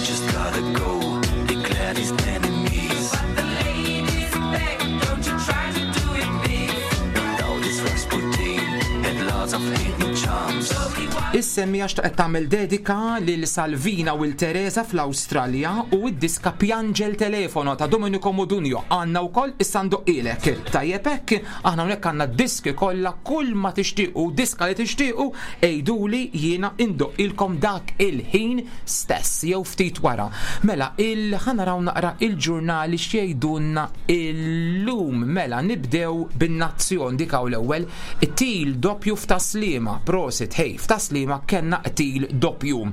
Just gotta go, declare these enemies. But the ladies beg, don't you try to do it, please. Now this Rasputin had lots of hidden charms. Is-semmija xtaqet tagħmel dedika lil Salvina u l Teresa fl-Awstralja u d-diska Piangel Telefono ta' Domenico Modugno għandna wkoll issa ndoqqilek. Tajjeb hekk, aħna hawnhekk għandna diski kollha kull ma tixtiequ diska li tixtiequ għiduli jiena indoqqilkom dak il-ħin stess jew ftit wara. Mela, ħa naraw naqra il-ġurnali x'jgħidulna illum. Mela, nibdew bin-Nazzjon dik hawn l-ewwel. Qtil doppju f'Tas-Sliema, prosit, hey, f'Tas-Sliema kellna qtil doppju.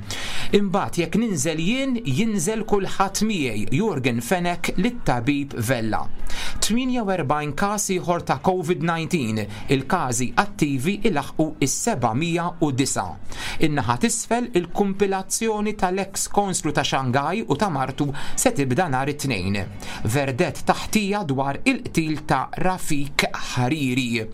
Imbagħad jekk ninżel jien, jinżel kulħadd miegħi, Yorgen Fenech lit-tabib Vella. 48 każ ieħor ta' COVID-19, il-każi attivi ilaħqu is-709. In-naħa t'isfel il-kumpilazzjoni tal-ex konslu ta' Shanghai u ta' martu se tibda nhar it-Tnejn. Verdett ta' ħtija dwar il-qtil ta' Rafik Hariri.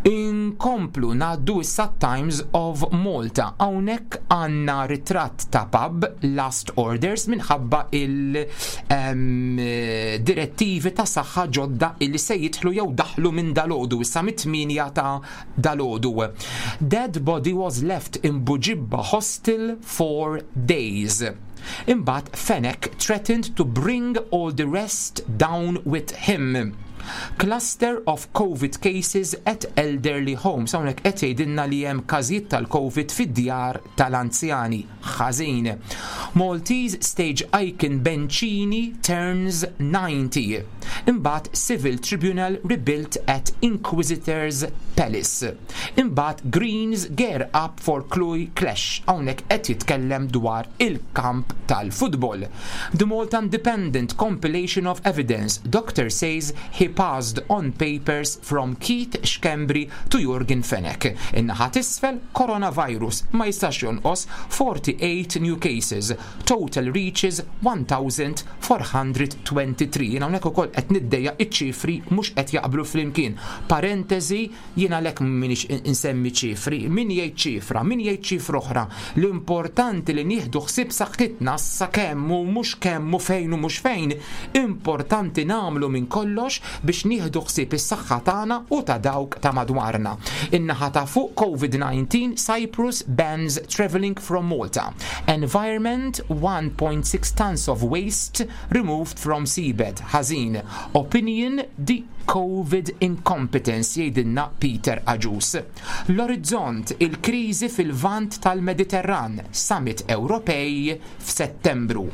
Inkomplu ngħaddu issa Times of Malta. Hawnhekk għandna ritratt ta' pub Last Orders minħabba il-direttivi ta' saħħa ġodda illi se jidħlu jew daħlu minn dalgħodu issa mit-8 ta' dalgħodu. Dead body was left in Buġibba hostel for days. Imbagħad Fenech threatened to bring all the rest down with him. Cluster of COVID cases at elderly homes. Hawnhekk qed jgħidilna li hemm każijiet tal-COVID fid-djar tal-anzjani. Ħażin. Maltese stage icon Bencini turns 90. Imbagħad Civil Tribunal rebuilt at Inquisitor's Palace. Imbagħad Greens gear up for Cluj Clash. Hawnhekk qed jitkellem dwar il-kamp tal-futbol. The Malta Independent compilation of evidence. Doctor says he passed on papers from Keith Schembri to Yorgen Fenech. In-naħa t'isfel coronavirus ma jistax jonqos 48 new cases. Total reaches 1423. Jiena hawnhekk ukoll qed niddejja iċ-ċifri mhux qed jaqblu flimkien. Parentesi, jiena lek minix insemmi ċifri, min jgħid ċifra, min jgħid ċifra oħra. L-importanti li nieħdu ħsieb saħħitna sa kemm u mhux kemm u fejn u mhux fejn, importanti nagħmlu minn kollox biex nieħdu ħsieb is-saħħa tagħna u ta' dawk ta' madwarna. In-naħa ta' fuq COVID-19 Cyprus bans traveling from Malta. Environment 1.6 tons of waste removed from seabed. Ħażin. Opinion the COVID incompetence jgħidilna Peter Agius. L-Orizzont il-kriżi fil-vant tal-Mediterran, Summit Ewropej f'Settembru.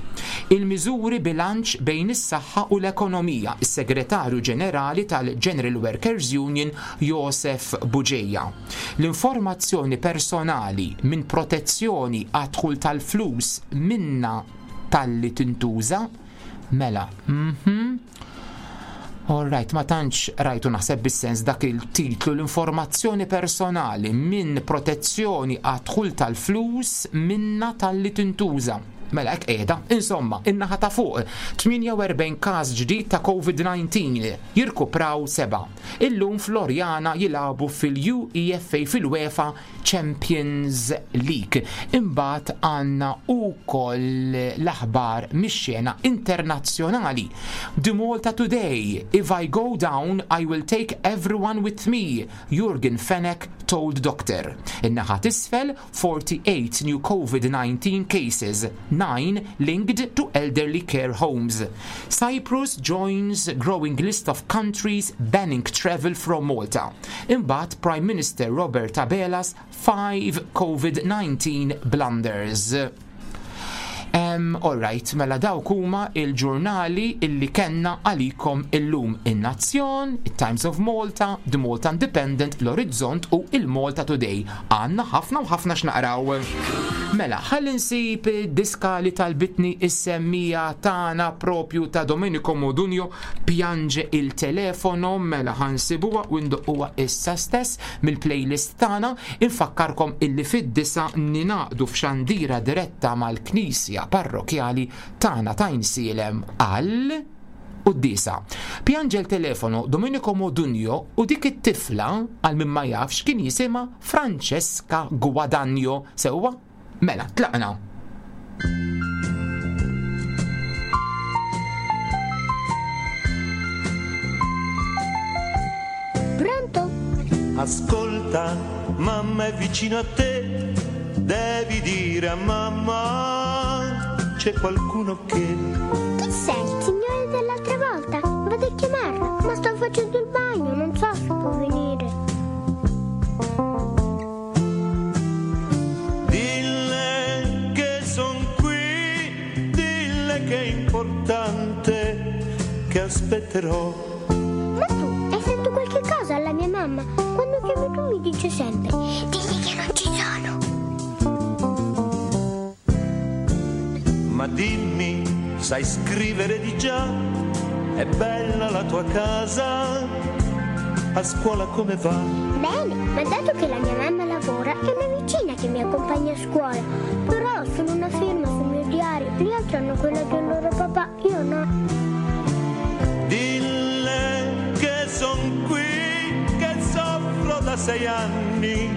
Il-miżuri bilanċ bejn is-saħħa u l-ekonomija, is-Segretarju Ġenerali tal-General Workers Union Josef Bugeja. L-informazzjoni personali minn protezzjoni għad-dħul tal-flus minna talli tintuża, mela, All right, ma tantx rajtu naħseb bis-sens dak il-titlu l-informazzjoni personali minn protezzjoni għad-dħul tal-flus minna talli tintuża. Mela hekk qiegħda. Insomma, in-naħa ta' fuq, 48 każ ġdid ta' COVID-19, jirkupraw sebgħa. Illum Floriana jilagħbu fil-UEFA fil-UEFA Champions League. Imbagħad għandna wkoll l-aħbar mix-xena internazzjonali. The Malta Today, If I go down, I will take everyone with me, Jurgen Fenech told doctor. In-naħa t'isfel, 48 new COVID-19 cases, 9 linked to elderly care homes. Cyprus joins growing list of countries banning travel from Malta. Imbagħad Prime Minister Robert Abela's 5 COVID-19 blunders. All right, mela dawk huma il-ġurnali illi kenna għalikom illum in-Nazzjon, it-Times of Malta, The Malta Independent, l-Orizzont u il-Malta Today. Għandna ħafna u ħafna x'naqraw. Mela, ħalli nsib diska li talbitni is-semmija tagħna propju ta' Domenico Modugno Piange il telefono, mela ħansibuha u ndoqquha issa stess mill-playlist tagħna. Infakkarkom illi fid-disgħa ningħaqdu f'xandira diretta mal-Knisja Parrokjali tagħna t'Għajnsielem għal quddiesa. Piange il telefono Domenico Modugno u dik it-tifla għal min ma jafx kien jisimha Francesca Guadagno. Sewwa? Mela, tlaqna. Pronto? Ascolta, mamma è vicino a te, devi dire a mamma c'è qualcuno che... Chi sei? Il signore dell'altra volta? Vado a chiamarlo, ma sto facendo il bagno, non so se può venire. Dille che son qui, dille che è importante, che aspetterò. Ma tu hai detto qualche cosa alla mia mamma? Quando chiami tu mi dice sempre, digli che non ci sono. Ma dimmi, sai scrivere di già? È bella la tua casa, a scuola come va? Bene, ma dato che la mia mamma lavora, è una vicina che mi accompagna a scuola. Però sono una firma sul mio diario, gli altri hanno quella del loro papà, io no. Dille che son qui, che soffro da 6 anni,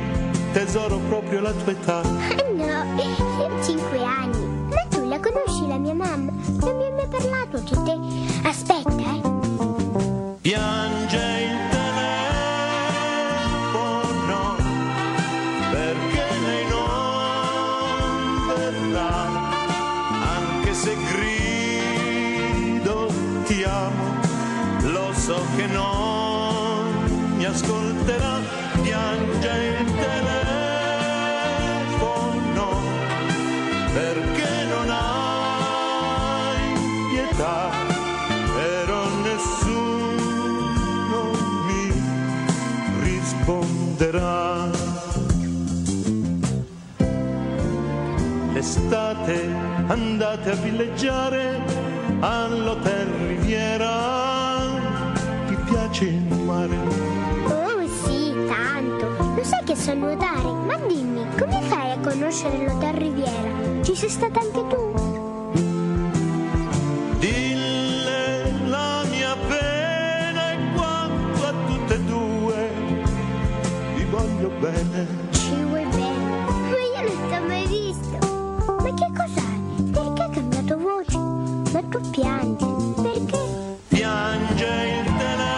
tesoro proprio la tua età. Ah no, io ho 5 anni. Ma tu la conosci la mia mamma? Non mi ha mai parlato di te. Aspetta, Piange il telefono perché lei non verrà, anche se grido ti amo, lo so che non mi ascolterà. Piange il telefono perché non hai pietà, però nessuno mi risponderà. L'estate andate a villeggiare all'Hotel Riviera, ti piace il mare? Oh sì, tanto. Lo sai che so nuotare? Ma dimmi, come fai a conoscere l'Hotel Riviera? Ci sei stata anche tu? Dille la mia pena è quanto a tutte e due vi voglio bene. Ci vuoi bene? Ma io non ti ho mai visto. Ma che cos'hai? Perché hai cambiato voce? Ma tu piangi, perché? Piange il telefono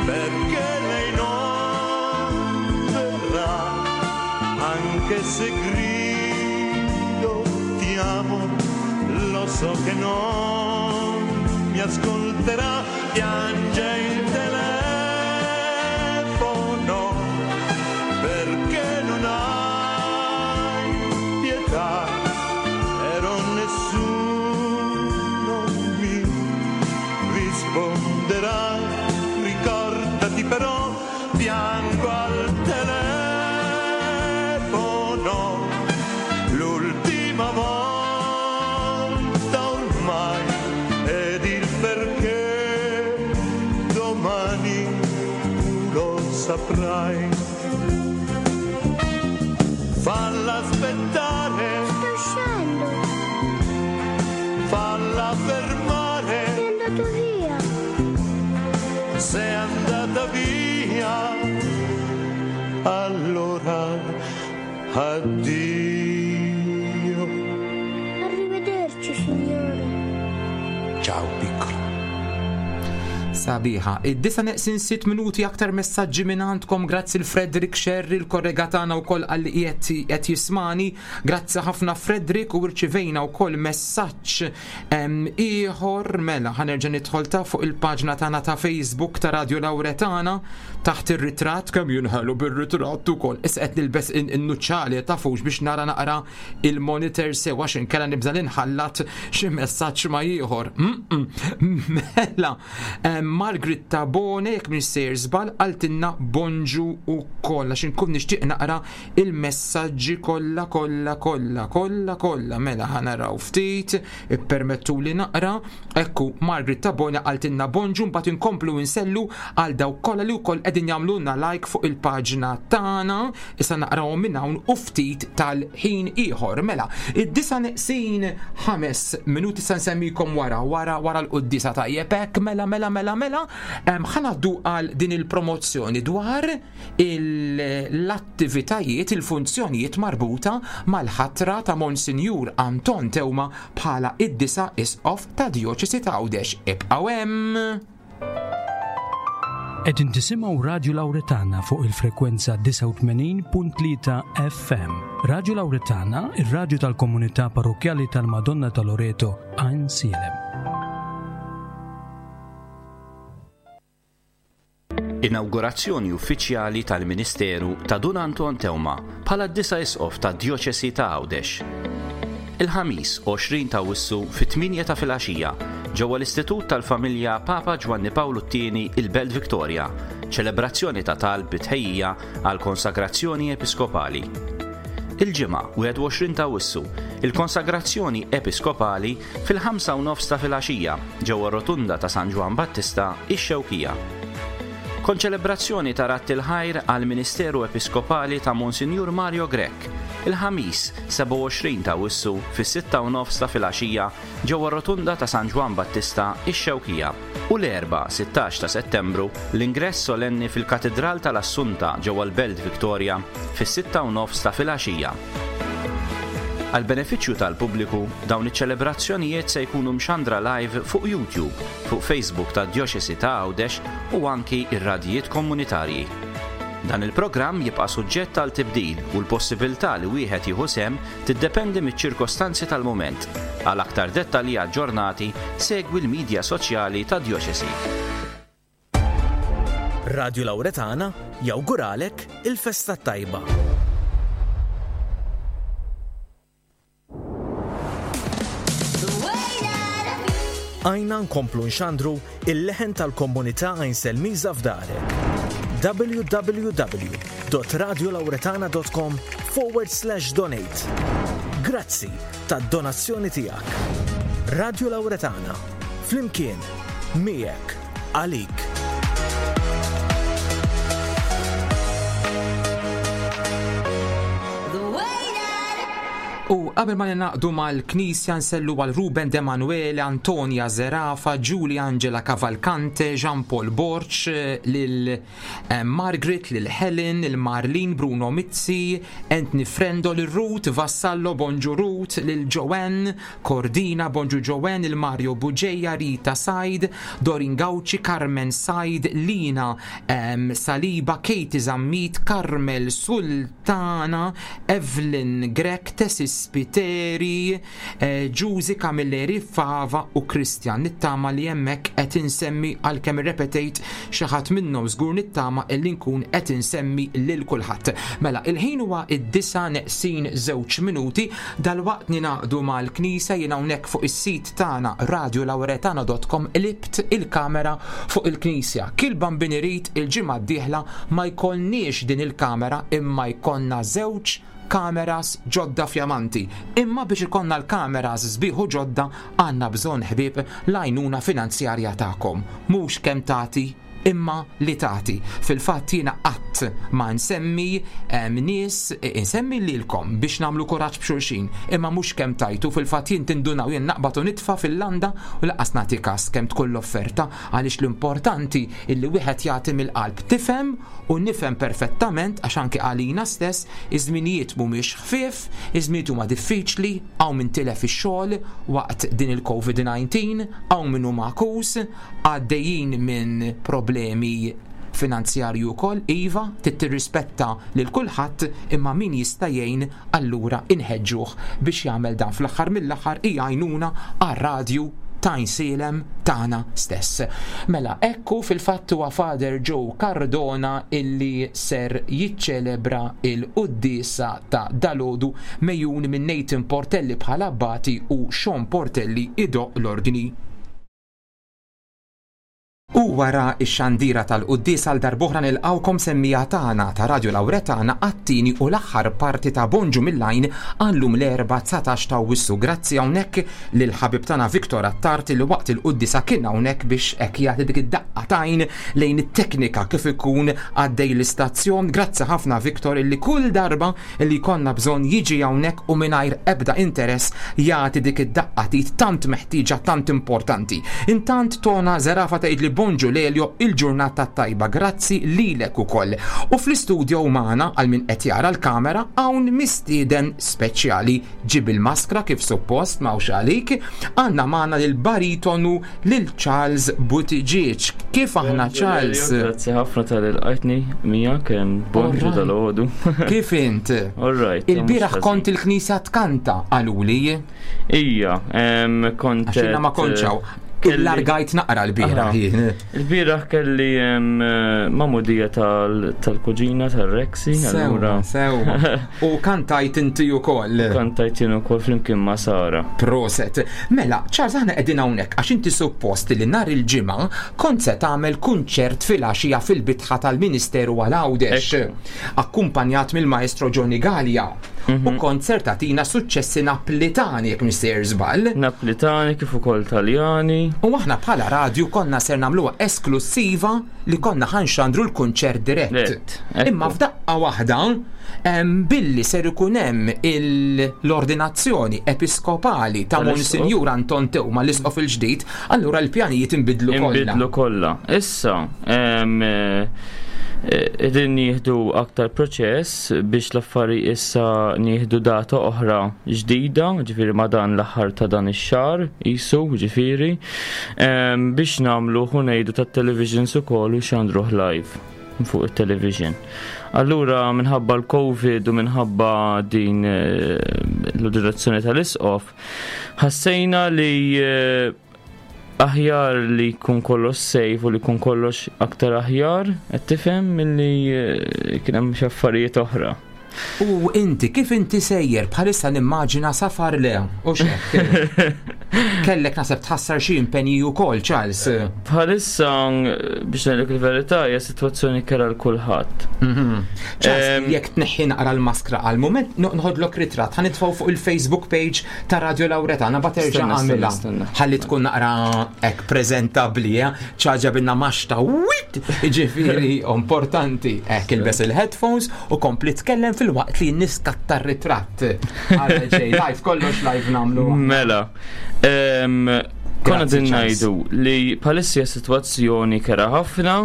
perché lei non verrà, anche se grido ti amo, lo so che non mi ascolterà. Piange il telefono perché non hai pietà, però nessuno mi risponderà. Ricordati però, piango al telefono l'ultima volta ormai, ed il perché domani tu lo saprai. Falla aspettare. Sto uscendo. Falla fermare. È andato via. Se è andata via, allora addio. Arrivederci, signore. Ciao piccolo. Sabiħa. Id-disa neqsin sitt minuti aktar messaġġi minn għandkom grazzi l-Frederick Sherry, l-kollega tagħna wkoll għalli qiegħed qed jismani. Grazzi ħafna Frederick u rċivejna wkoll messaġġ ieħor mela ħanerġa' nidħol ta' fuq il-paġna tagħna ta' Facebook ta' Radio Lauretana taħt ir-ritratt kemm jinħelu bir-ritratt ukoll. Issa qed nilbes in-nuċċali tafux biex nara naqra il-monitor sew għax inkella nibża' ninħallat xi messaġġ ma' ieħor. Mela, Margaret Tabone, jekk minn sejr żball, qaltilna bonġu ukoll għax inkun nixtieq naqra il-messaġġi kollha kollha kollha kollha kollha. Mela ħa naraw ftit, ippermettuli naqra. Ekku, Margaret Tabone qaltilna bonġu mbagħad inkomplu insellu għal dawk kollha li wkoll qegħdin jagħmlulna like fuq il-paġna tagħna. Issa naqrawhom minn hawn u ftit tal-ħin ieħor. Mela, id-disa neqsin 5 minuti sa nsemmikom wara, wara, wara l-quddiesa tajjeb hekk, mela, mela, mela, mela, ħa ngħaddu għal din il-promozzjoni dwar l-attivitajiet, il-funzjonijiet marbuta mal-ħatra ta' Monsinjur Anton Teuma bħala id-disa' Isqof tad-Djoċesi ta' Għawdex. Ibqgħu hemm! Qegħdin tisimgħu Radju Lawretana fuq il-frekwenza 89.3 FM. Radju Lawretana, ir-radju tal-komunità parrokkjali tal-Madonna ta' Loreto, Għajnsielem. Inawgurazzjoni uffiċjali tal-ministeru ta' Dun Anton Teuma bħala d-disa' Isqof tad-Djoċesi ta' Għawdex. Il-Ħamis, 20 t'Awwissu fit-tmienja ta' filgħaxija, ġewwa l-Istitut tal-Familja Papa Ġwanni Pawlu t-Tieni il-Belt Victoria, ċelebrazzjoni ta' talb bi tħejjija għall-konsagrazzjoni episkopali. Il-Ġimgħa, 21 t'Awwissu, il-konsagrazzjoni episkopali fil-ħamsa u nofs ta' filgħaxija ġewwa r-Rotunda ta' San Ġwann Battista, ix-Xewkija. Konċelebrazzjoni ta' radd il-ħajr għall-ministeru episkopali ta' Monsinjur Mario Grech, il-Ħamis, 27 ta' Awwissu fis-sitta u nofs ta' filgħaxija ġewwa r-Rotunda ta' San Ġwann Battista, ix-Xewkija, u l-Erbgħa, 16 ta' Settembru, l-ingress solenni fil-Katidral tal-Assunta ġewwa l-Belt Victoria fis-sitta u nofs ta' filgħaxija. Għall-benefiċċju tal-pubbliku, dawn iċ-ċelebrazzjonijiet se jkunu mxandra live fuq YouTube, fuq Facebook tad-Djoċesi ta' Għawdex u anki r-radjijiet komunitarji. Dan il-programm jibqa' suġġett għal tibdil u l-possibilità li wieħed jieħu sehem tiddependi miċ-ċirkostanzi tal-mument. Għal aktar dettalji aġġornati, segwi l-midja soċjali tad-Djoċesi. Radju Lawretana jawguralek il-festa t-tajba. Għajna nkomplu nxandru il-leħen tal-komunità Għajnselmiża f'darek. www.radiolawretana.com forward slash donate. Grazzi tad-donazzjoni tiegħek. Radio Lawretana, flimkien, miegħek, għalik. U qabel ma ninaqdu mal-Knisja nsellu għal Ruben De Manuele, Antonia Zerafa, Julie Angela Cavalcante, Jean Paul Borg, lil eh, Margaret, lil Helen, lil Marlene Bruno Mizzi, Anthony Frendo, lil Ruth Vassallo, Bonġu Ruth, lil Joanne Cordina, Bonġu Joanne, lil Mario Bugeja, Rita Said, Dorin Gauci, Carmen Said, Lina um, Saliba, Katie Zammit, Carmel Sultana, Evelyn Grech, Tessie Spiteri, eh, Ġużi Camilleri Fava u Christian. Nittama li hemmhekk qed insemmi għalkemm irrepetejt xi ħadd minnhom żgur nittama illi nkun qed insemmi lil kulħadd. Mela, il-ħin huwa id-disa neqsin żewġ minuti, dalwaqt ningħaqdu mal-Knisja jien hawnhekk fuq is-sit tagħna radiolauretana.com qlibt il-kamera fuq il-Knisja. Kil bambin irid il-ġimgħa d-dieħla ma jkollniex din il-kamera imma jkollna żewġ kameras ġodda fjamanti. Imma biex ikollna l-kameras sbieħ u ġodda għandna bżonn ħbieb l-għajnuna finanzjarja tagħkom. Mhux kemm tagħti imma li tagħti. Fil-fatt jiena qatt ma nsemmi nies, insemmi lilkom biex nagħmlu kuraġġ b'xulxin, imma mhux kemm tajtu, fil-fatt jien tindunaw jien naqbad u nitfa' fil-landa u lanqas nagħti kas kemm tkun l-offerta għaliex l-importanti illi wieħed jagħti mill-qalb. Tifhem u nifhem perfettament għax anke għalina stess iż-żminijiet mhumiex ħfief, iż-żminijiet huma diffiċli, hawn min tilef ix-xogħol waqt din il-COVID-19, hawn min hu magħkus, għaddejjin minn problemi finanzjarji wkoll, iva, trid tirrispetta lil kulħadd imma min jista' jgħin allura inħeġġuh biex jagħmel dan. Fl-aħħar mill-aħħar hi għajnuna għar-radju ta' Għajnsielem tagħna stess. Mela, hekk hu fil-fatt huwa Father Joe Cardona illi ser jiċċelebra l-quddiesa ta' dalgħodu megħjun minn Nathan Portelli bħala abbati u Sean Portelli idoqq l-orgni. U wara x-xandira tal-quddies għal darb'oħra nilqgħukom semmiegħa tagħna ta' Radio Lauretana għat-tieni u l-aħħar parti ta' Bonġu mill-Għajn għal-lum l-Erbgħa 19 ta' Awwissu. Grazzi hawnhekk lill-ħabib tagħna Victor Attard li waqt il-quddiesa kien hawnhekk biex hekk jagħti dik id-daqqa t'għajn lejn it-teknika kif ikun għaddej l-istazzjon. Grazzi ħafna Victor illi kull darba li jkollna bżonn jiġi hawnhekk u mingħajr ebda interess jagħti dik id-daqqa t'id tant meħtieġa tant importanti. Intant Tona Zerafa tgħidli Bonġu Lelio il-ġurnata t-tajba grazzi lilek ukoll. U fl-istudio magħna għal min qed jara l-kamera hawn mistieden speċjali ġib il-maskra kif suppost m'hawnx għalik għandna magħna lil baritonu lil Charles Buttigieg. Kif aħna Charles? Grazzi ħafna tal-ilqajtni miegħek bonġu dal-għodu. Kif int? All right. Il-bieraħ kont il-knisja tkanta qaluli. Ija, kont. Għax ma kontx hawn. Il-largajt naqra l-bieraħ jien. Il-bieraħ kelli mamudija tal-kuġina tal-Rexi. Sewwa, sewwa. U kantajt inti ukoll. Kantajt jien ukoll flimkien ma' Sara. Proset. Mela, Charles aħna qegħdin hawnhekk għax inti suppost li nhar il-Ġimgħa kont se tagħmel kunċert filgħaxija fil-bitħa tal-Ministeru għal Għawdex. Akkumpanjat mill-Maestro Johnny Galea. U kont ser tagħtina suċċessi Naplitani jekk mhux sejjer żball. Naplitani kif ukoll Taljani. U aħna bħala radju konna ser nagħmluha esklussiva li konna ħa nxandru l-kunċert dirett. Imma f'daqqa waħda billi ser ikun hemm l-ordinazzjoni episkopali ta' Monsinjur Anton Teuma l-isqof il-ġdid, allura l-pjanijiet inbidlu kollha. Inbidlu kollha. Issa, qegħdin nieħdu aktar proċess biex l-affari issa nieħdu data oħra ġdida, ġifieri ma' dan l-aħħar ta' dan ix-xahar, qisu, ġifieri. Biex nagħmluh u ngħidu tat-televisions ukoll u xandruh live fuq it-television. Allura minħabba l-Covid u minħabba din eh, l-direzzjoni tal-isqof, ħassejna li eh, aħjar li jkun kollox safe u li jkun kollox aktar aħjar, qed tifhem milli eh, kien hemm xi affarijiet oħra. U inti, kif inti sejjer bħalissa nimmaġina safar le, u xek. Kellek naseb tħassar xi impenji wkoll, Charles. Bħalissa biex ngħidlek il-verità hija sitwazzjoni kera l kulħadd. Mhm. Charles, jekk tneħħi naqra l-maskra għal mument, noħodlok ritratt, ħa nitfgħu fuq il-Facebook page ta' Radio Lauretana ba terġa' għamilha. Ħalli tkun naqra hekk preżentabbli, eh? ċaġa binna maxta, wit! Ġifieri importanti, hekk ilbes il-headphones u kompli tkellem fil-waqt li niskatta r-ritratt. Għara ġej, live, kollox live namlu. Mela, konna din najdu li palissija situazzjoni kera ħafna,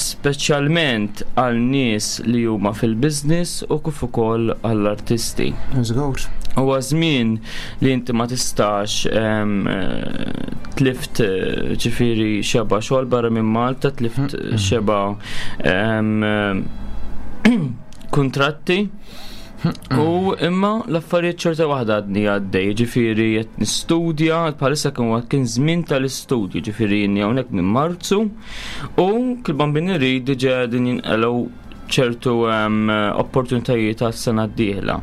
speċjalment għal nies li huma fil-biznis u kif ukoll għall-artisti. Żgur. Huwa żmien li inti ma tistax tlift ġifieri xeba xogħol barra minn Malta, tlift xeba kuntratti. U imma l-affarijiet xorta waħda għadni għaddej, ġifieri qed nistudja, bħalissa kien kien żmien tal-istudju, ġifieri inni hawnhekk minn Marzu u kil-bambini irid diġà qegħdin jinqelgħu ċertu opportunitajiet għas-sena d-dieħla.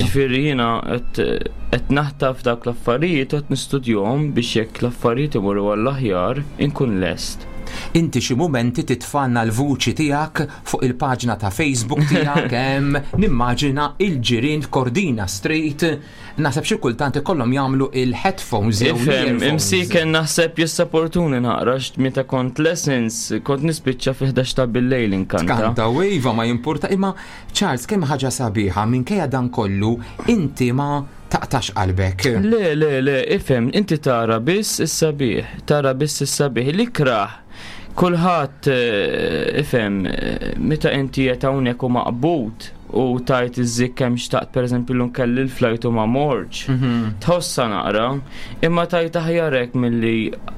Ġifieri jiena qed naħtaf dak l-affarijiet u qed nistudjahom biex jekk l-affarijiet imorru għall-aħjar inkun lest. Inti xi mumenti titfanna l-vuċi tiegħek fuq il-paġna ta' Facebook tiegħek hemm nimmaġina il-ġirien f'Cordina Street naħseb xi kultant ikollhom jagħmlu il-headphones jew Ifhem, l-earphones. imsiken naħseb jissaportuni naqra għax meta kont lessons kont nispiċċa fi 11 ta' bil-lejl inkanta. Kanta u iva ma jimpurta imma Charles kemm ħaġa sabiħa minkejja dan kollu inti ma taqtax qalbek. Le, le, le, ifhem, inti tara biss is-sabiħ, tara biss is-sabiħ. L-ikrah, kulħadd eh, ifhem, eh, meta inti qed hawnhekk u maqbud u tajt iż-żikk kemm xtaqt pereżempju llum kelli l-flajt u ma mortx. Tħossha naqra, imma tajt aħjar hekk milli eh,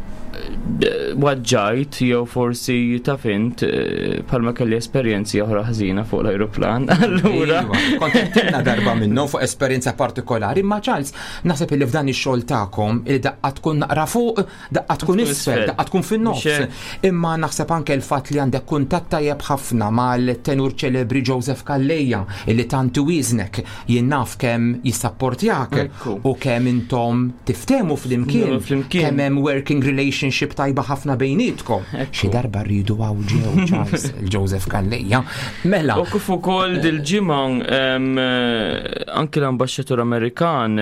waġġajt jew forsi taf int eh, bħalma kelli esperjenzi oħra ħażina fuq l-ajruplan. Allura. Iva, Kont għedtilna darba minnhom fuq esperjenza partikolari, imma Charles, naħseb illi f'dan ix-xogħol tagħkom il daqqa tkun naqra fuq, daqqa tkun isfel, daqqa tkun fin-nofs. Imma naħseb anke l-fatt li għandek kuntatt tajjeb ħafna mal-tenur ċelebri Joseph Calleja illi tant iwieżnek jien naf kemm jissapportjak u kemm intom tiftehmu flimkien, kemm hemm working relationship tajba ħafna bejnietkom. Xi darba rridu hawn ġew Charles il-Joseph Calleja. Mela. U kif ukoll dil-ġimgħa eh, anki l-ambaxxatur Amerikan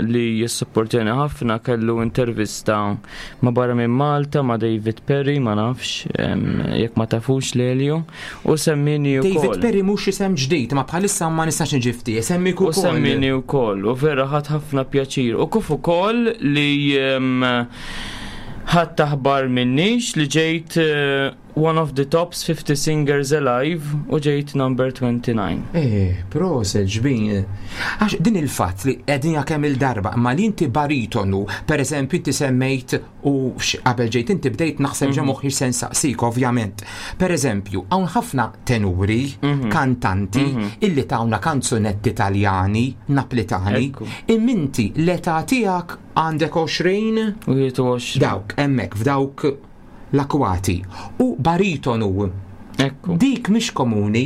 li jissupportjani ħafna kellu intervista ma' barra minn Malta ma' David Perry, ma nafx jekk ma tafux lelju, u semmini ukoll. David Perry mhux isem ġdid, ma bħalissa ma nistax niġi fti, semmik ukoll. U semmini wkoll, u vera ħadd ħafna pjaċir. U kif ukoll li ħadd aħbar minnix li ġejt eh, One of the tops 50 singers alive u ġejt number 29. Eh, proset ġbin. Għax din il-fatt li qegħdin kemm il-darba, ma li inti baritonu, per eżempju inti semmejt u qabel ġejt inti bdejt naħseb ġa mhm. moħħi se nsaqsik ovvjament. Per eżempju, hawn ħafna tenuri, mhm. kantanti, mhm. illi tawna kanzunetti Taljani, Naplitani, imminti l-età tiegħek għandek 20? 21. Dawk, hemmhekk f'dawk l-akwati u baritonu. Ekku. Dik mhix komuni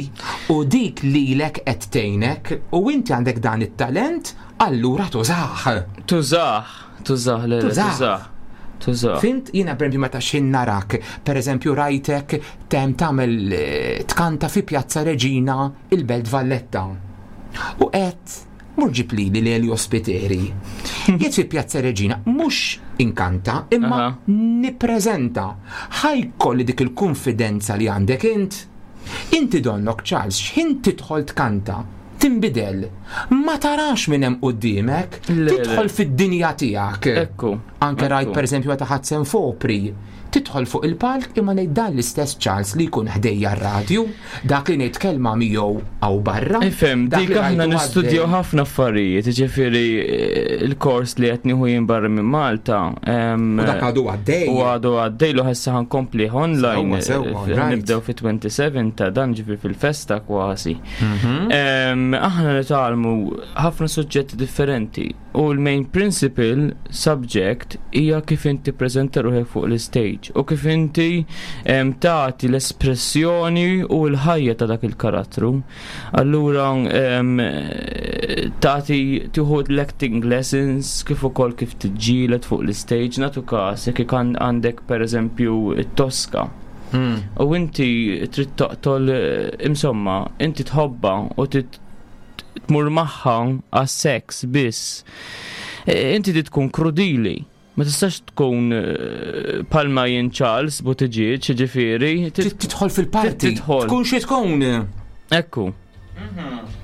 u dik lilek qed tgħinek u inti għandek dan it-talent allura tużah. Tużah, tużah, le, tużah. Tużah. Fint jiena pereżempju meta xin narak, pereżempju rajtek tem tagħmel eh, tkanta fi Pjazza Reġina il-Belt Valletta. U qed Mur ġib lili l-Elio Spiteri. Jiet fi Pjazza Reġina mhux inkanta imma nippreżenta. Ħa jkolli dik il-kunfidenza li għandek int. Inti donnok Charles x'ħin tidħol tkanta, tinbidel. Ma tarax min hemm quddiemek, tidħol fid-dinja tiegħek. Ekku. Anke rajt pereżempju meta ħadt sehem f'opri. Tidħol fuq il-palk imma ngħid dan l-istess Charles li jkun ħdejja r-radju, dak li ngħid kelma miegħu hawn barra. Ifhem, dik aħna nistudjaw ħafna affarijiet, jiġifieri eh, il-kors li qed nieħu jien barra minn Malta. U dak għadu għaddej. U għadu għaddej lu ħessa ħankompli online. Eh, nibdew fi 27 ta' dan ġifieri fil-festa kważi. Mhm. Aħna nitgħallmu ħafna suġġetti differenti. U l-main principle subject hija kif inti tippreżenta ruħek fuq l-istage u kif inti tagħti l-espressjoni u l-ħajja ta' dak il-karattru. Allura tagħti tieħu l-acting lessons kif ukoll kif tiġġieled fuq l-istage nagħtu każ jekk għandek pereżempju t-Tosca. Hmm. U inti trid toqtol insomma, inti tħobba u trid tmur magħha għas-seks biss. E, inti trid tkun krudili. Ma tistax tkun e, palma jien Charles Buttigieg, ġifieri. Tidħol fil-parti. Tkun xi tkun. Ekku. Mhm.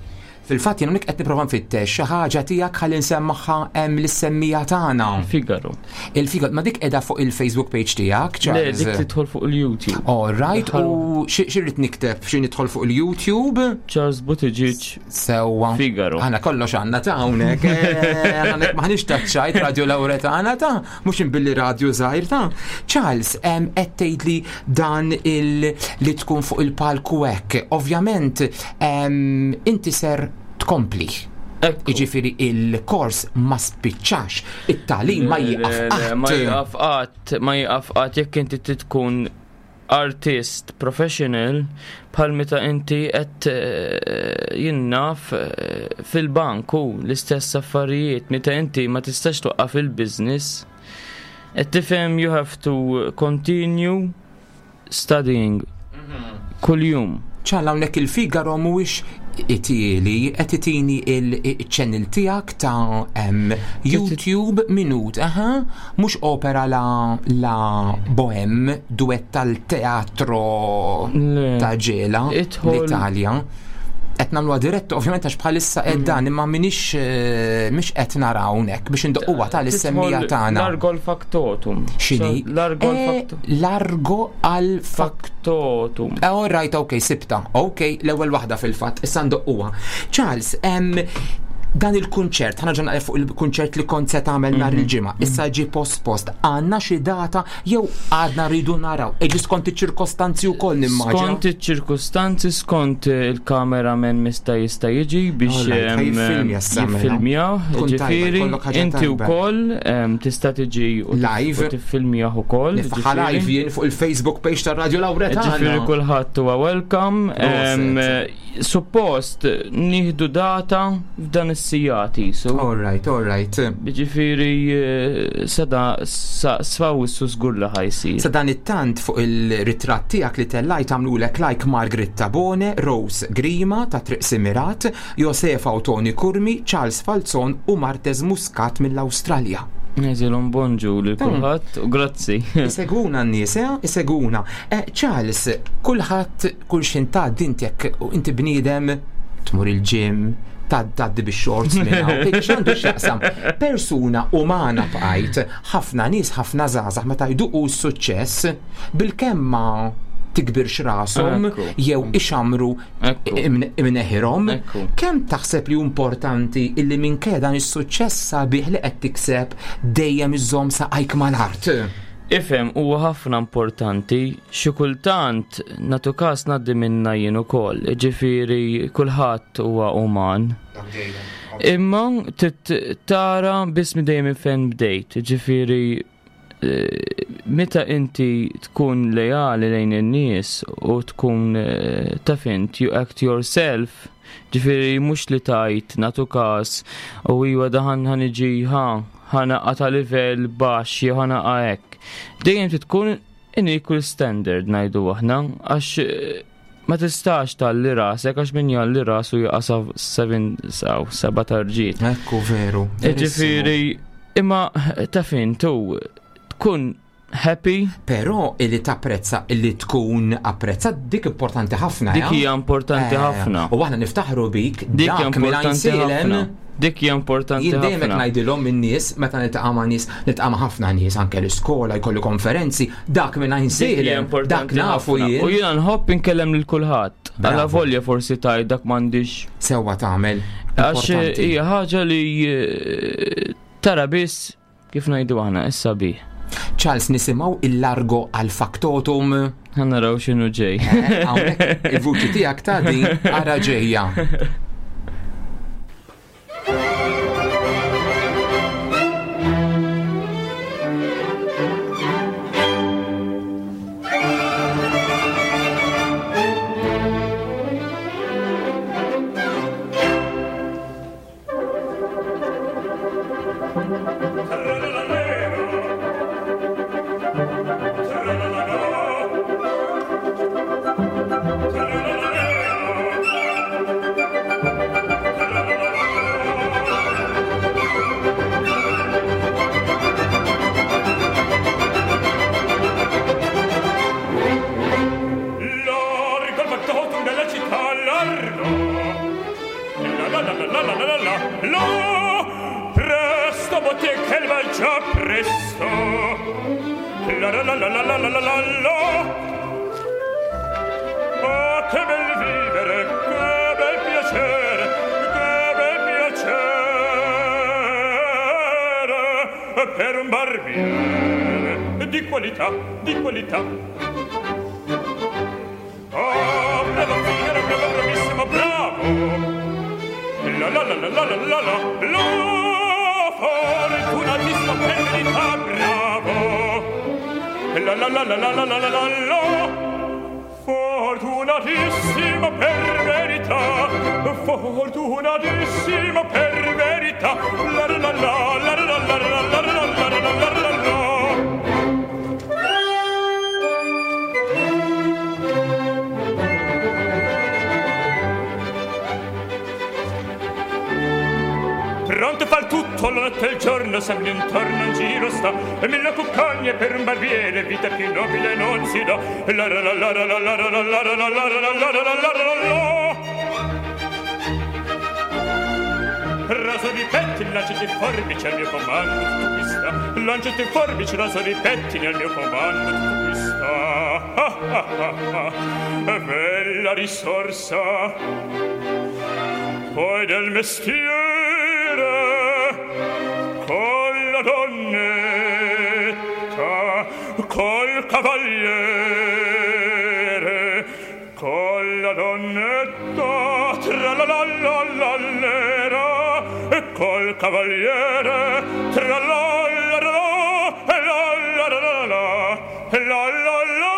Fil-fatt jien hawnhekk qed nipprova nfittex xi ħaġa tiegħek ħalli nsemmaħħa hemm lis-semmija tagħna. Figaro. Il-Figaro, ma dik qiegħda fuq il-Facebook page tiegħek, Le, dik tidħol fuq il-YouTube. All right, u xi rrid nikteb xi nidħol fuq il-YouTube? Charles Buttigieg. Sewwa. Figaro. Aħna kollox għandna ta' hawnhekk. Eh, hawnhekk maħniex taċċajt Radio Lauretana ta' mhux imbilli radio żgħir ta'. Charles, qed tgħidli dan il li tkun fuq il-palku hekk. Ovvjament, inti ser tkompli. Jiġifieri il-kors ma spiċċax, it-tagħlim ma jieqaf qatt. Ma jieqaf qatt, ma jieqaf qatt jekk inti tkun artist professional bħal meta inti qed eh, jien naf eh, fil-bank u l-istess affarijiet meta inti ma tistax twaqqaf il-business. Qed tifhem you have to continue. studying kuljum. Ċalla hawnhekk il-Figaro mhuwiex itieli qed itini il-channel tiegħek ta' YouTube minut, aha, mhux opera la la Bohème, duett tal-teatro ta' ġela l-Italja. Qed nagħmluha diretta ovvjament għax bħalissa qed dan imma minix eh, mhix qed nara hawnhekk biex indoqquha tal-issemmija tagħna. Largo l-factotum. X'inhi? Largo Eh, l-factotum. Largo għal factotum. Eh, all right, ok, sibta. Ok, l-ewwel waħda fil-fatt, issa ndoqquha. Charles, em, dan il-kunċert, ħana ġanna fuq il-kunċert li kont se tagħmel nhar il-ġimgħa, issa ġie post-post, għandna xi data jew għadna rridu naraw. Eġi skont iċ-ċirkostanzi wkoll nimmaġina. Skont iċ-ċirkustanzi, skont il-cameraman mista jista' jiġi biex All right, jiffilmja issa mela. jiffilmja, Tkun tajba, ġifieri, jkollok ħaġa inti tajba. wkoll tista' tiġi u Live. u tiffilmjah ukoll. Nifħa live jien fuq il-Facebook page ta' Radio Lauretana. Ġifieri kulħadd huwa welcome. Suppost nieħdu data f'dan is-sijati. So. All right, all right. Ġifieri eh, sada sfaw issu żgur li ħajsir. Sa dan it-tant fuq il-ritratt tiegħek li tellajt għamlulek like Margaret Tabone, Rose Grima ta' Triq Simirat, Josefa u Tony Kurmi, Charles Falzon u Martez Muscat mill-Awstralja. Neżilhom bonġu lil kulħadd u grazzi. Iseguna n-nies, eh? Iseguna. Eh, Charles, kulħadd kull xin tgħaddi inti jekk u inti bniedem tmur il-gym, tgħaddi bix-shorts minn hawn, tgħid x'għandu x'jaqsam. Persuna umana bqajt, ħafna nies, ħafna żgħażagħ meta jduqu s-suċċess bil-kemm ma tikbirx rashom Ekku. jew ixamru imneħirhom. Kemm taħseb li hu importanti illi minkejja dan is-suċċess sabiħ li qed tikseb dejjem iżżomm saqajk mal-art? Ifhem, huwa ħafna importanti, xi kultant natu każ ngħaddi minna jien ukoll, ġifieri kulħadd huwa uman. Imma trid tara biss minn dejjem minn fejn bdejt, ġifieri eh, meta inti tkun lejali lejn in-nies u tkun eh, taf int you act yourself, ġifieri mhux li tajt natu każ u iwa daħan ħaniġi ħa ħanaqa ta' livell baxx jew ħanaqa hekk. Dejjem trid tkun in equal standard ngħidu aħna għax eh, ma tistax talli rasek għax min jalli rasu jaqa' sa 7 saw seba' tarġiet. Ekku veru. Ġifieri imma taf int tu tkun happy. Però illi tapprezza illi tkun apprezzat dik importanti ħafna. Dik ja? hija importanti Eh, ħafna. U aħna niftaħru bik Dik hija dak minn importanti Għajnsielem. ħafna. Dik hija importanti Jien dejjem hekk ħafna. ngħidilhom in-nies meta niltaqa' ma' nies, niltaqa' ma' ħafna nies anke l-iskola jkollu konferenzi, dak minn Dik hija Għajnsielem, dak importanti nafu ħafna. jien. U jiena nħobb inkellem lil kulħadd. Alla volja forsi taj dak m'għandix. Sewwa tagħmel. Għax Importanti. hija ħaġa li eh, tara biss kif ngħidu aħna issa bih. Charles nisimgħu il-largo għal factotum. Ħa naraw x'inhu ġej. Eh, Hawnhekk il-vuċi tiegħek ta' din ara ġejja. Largo al factotum della città, largo. La la la la la la la la la. Presto bottega il va già presto. La la la la la la la la la la. Oh, che bel vivere, che bel piacere, che bel piacere per un barbiere di qualità, di qualità. Oh, bravo Figaro, bravo, bravissimo, bravo! La la la la la la la la la Fortunatissimo per verità, bravo! La la la la la la la la la la Fortunatissimo per verità, fortunatissimo per verità, la la la la la la la la la la la la la la la la. Tutto il giorno sempre intorno in giro sta, e mille cuccagne per un barbiere, vita più nobile non si dà. La la la la la la la la la la la la la la la la la la la. Raso di pettini, lanciati forbici al mio comando, tutto qui sta. Lanciati forbici, raso di pettini al mio comando, tutto qui sta. Ah, ah, ah, ah. Bella risorsa, poi del mestiere, con la donnetta, col cavaliere, con la donnetta, tra la la la la lera, e col cavaliere, tra la la la la la la la la la la la.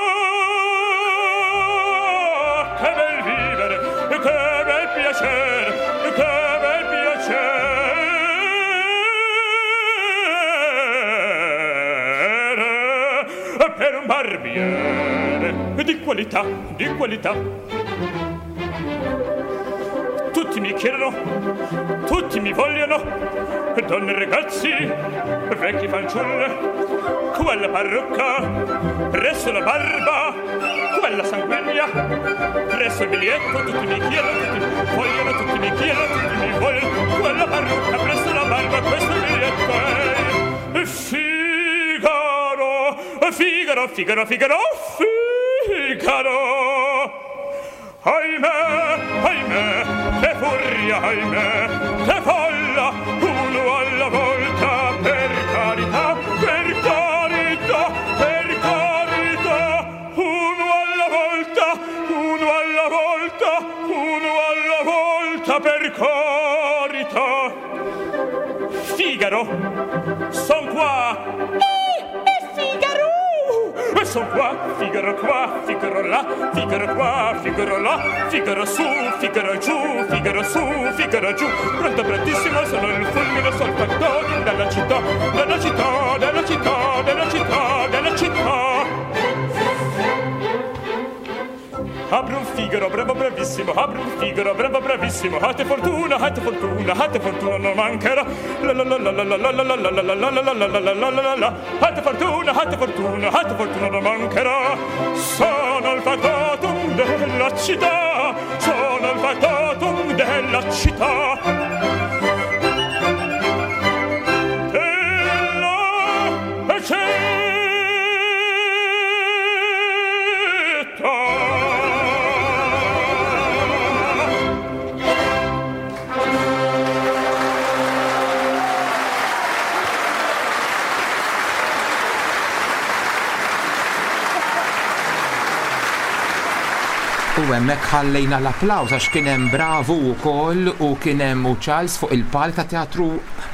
Che bel vivere, che bel piacere, che bel piacere per un barbiere di qualità, di qualità. Tutti mi chiedono, tutti mi vogliono, donne e ragazzi, vecchi fanciulle, quella parrucca, presso la barba, quella sanguigna, presso il biglietto, tutti mi chiedono, tutti mi vogliono, tutti mi chiedono, tutti mi vogliono, quella parrucca, presso la barba, questo biglietto è Figaro, Figaro, Figaro, Figaro, Figaro. Ahimè, ahimè, che furia, ahimè, che folla, uno alla volta, per carità, per carità, per carità, uno alla volta, uno alla volta, uno alla volta, per carità. Figaro, son qua. Figaro! Son qua, Figaro qua, Figaro là, Figaro qua, Figaro là, Figaro su, Figaro giù, Figaro su, Figaro giù. Pronto, prontissimo, sono il fulmine, sono il factotum della città, della città, della città, della città, della città. Apri un Figaro, bravo, bravissimo, apri un Figaro, bravo, bravissimo, ate fortuna, ate fortuna, ate fortuna non mancherà. La la la la la la la la la la la la la la la la la la la la. Ate fortuna, ate fortuna, ate fortuna non mancherà. Sono il factotum della città, sono il factotum della città. Della città. U hemmhekk ħallejna l-applaws għax kien hemm Bravu wkoll u kien hemm u Charles fuq il-palk ta' Teatru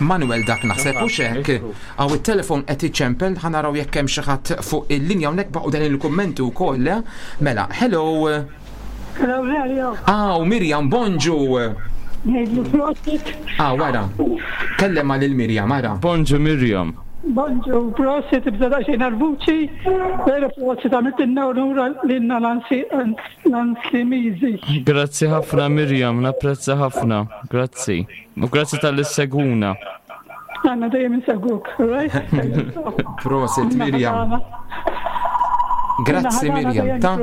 Manuel dak naħseb u xek. Għaw it-telefon qed iċempel ħa naraw jekk hemm xi ħadd fuq il-linja hawnhekk baqgħu dan il-kummenti wkoll. Mela, hello. Hello, Lelio. Aw, Mirjam, bonġu. Ngħidlu prosit. Ah, wara. Kellem għal il-Mirjam, ara. Bonġu Mirjam. Bonġu, prosit, bża daqsxejn għal-vuċi, pero prosit għamiltilna unura lilna l-Anslimiżi. Grazzi ħafna Mirjam, napprezza ħafna. Grazzi. U grazzi tal seguna. Għanna dejjem insegwuk, right? Prosit Mirjam. Grazzi Mirjam. Ta'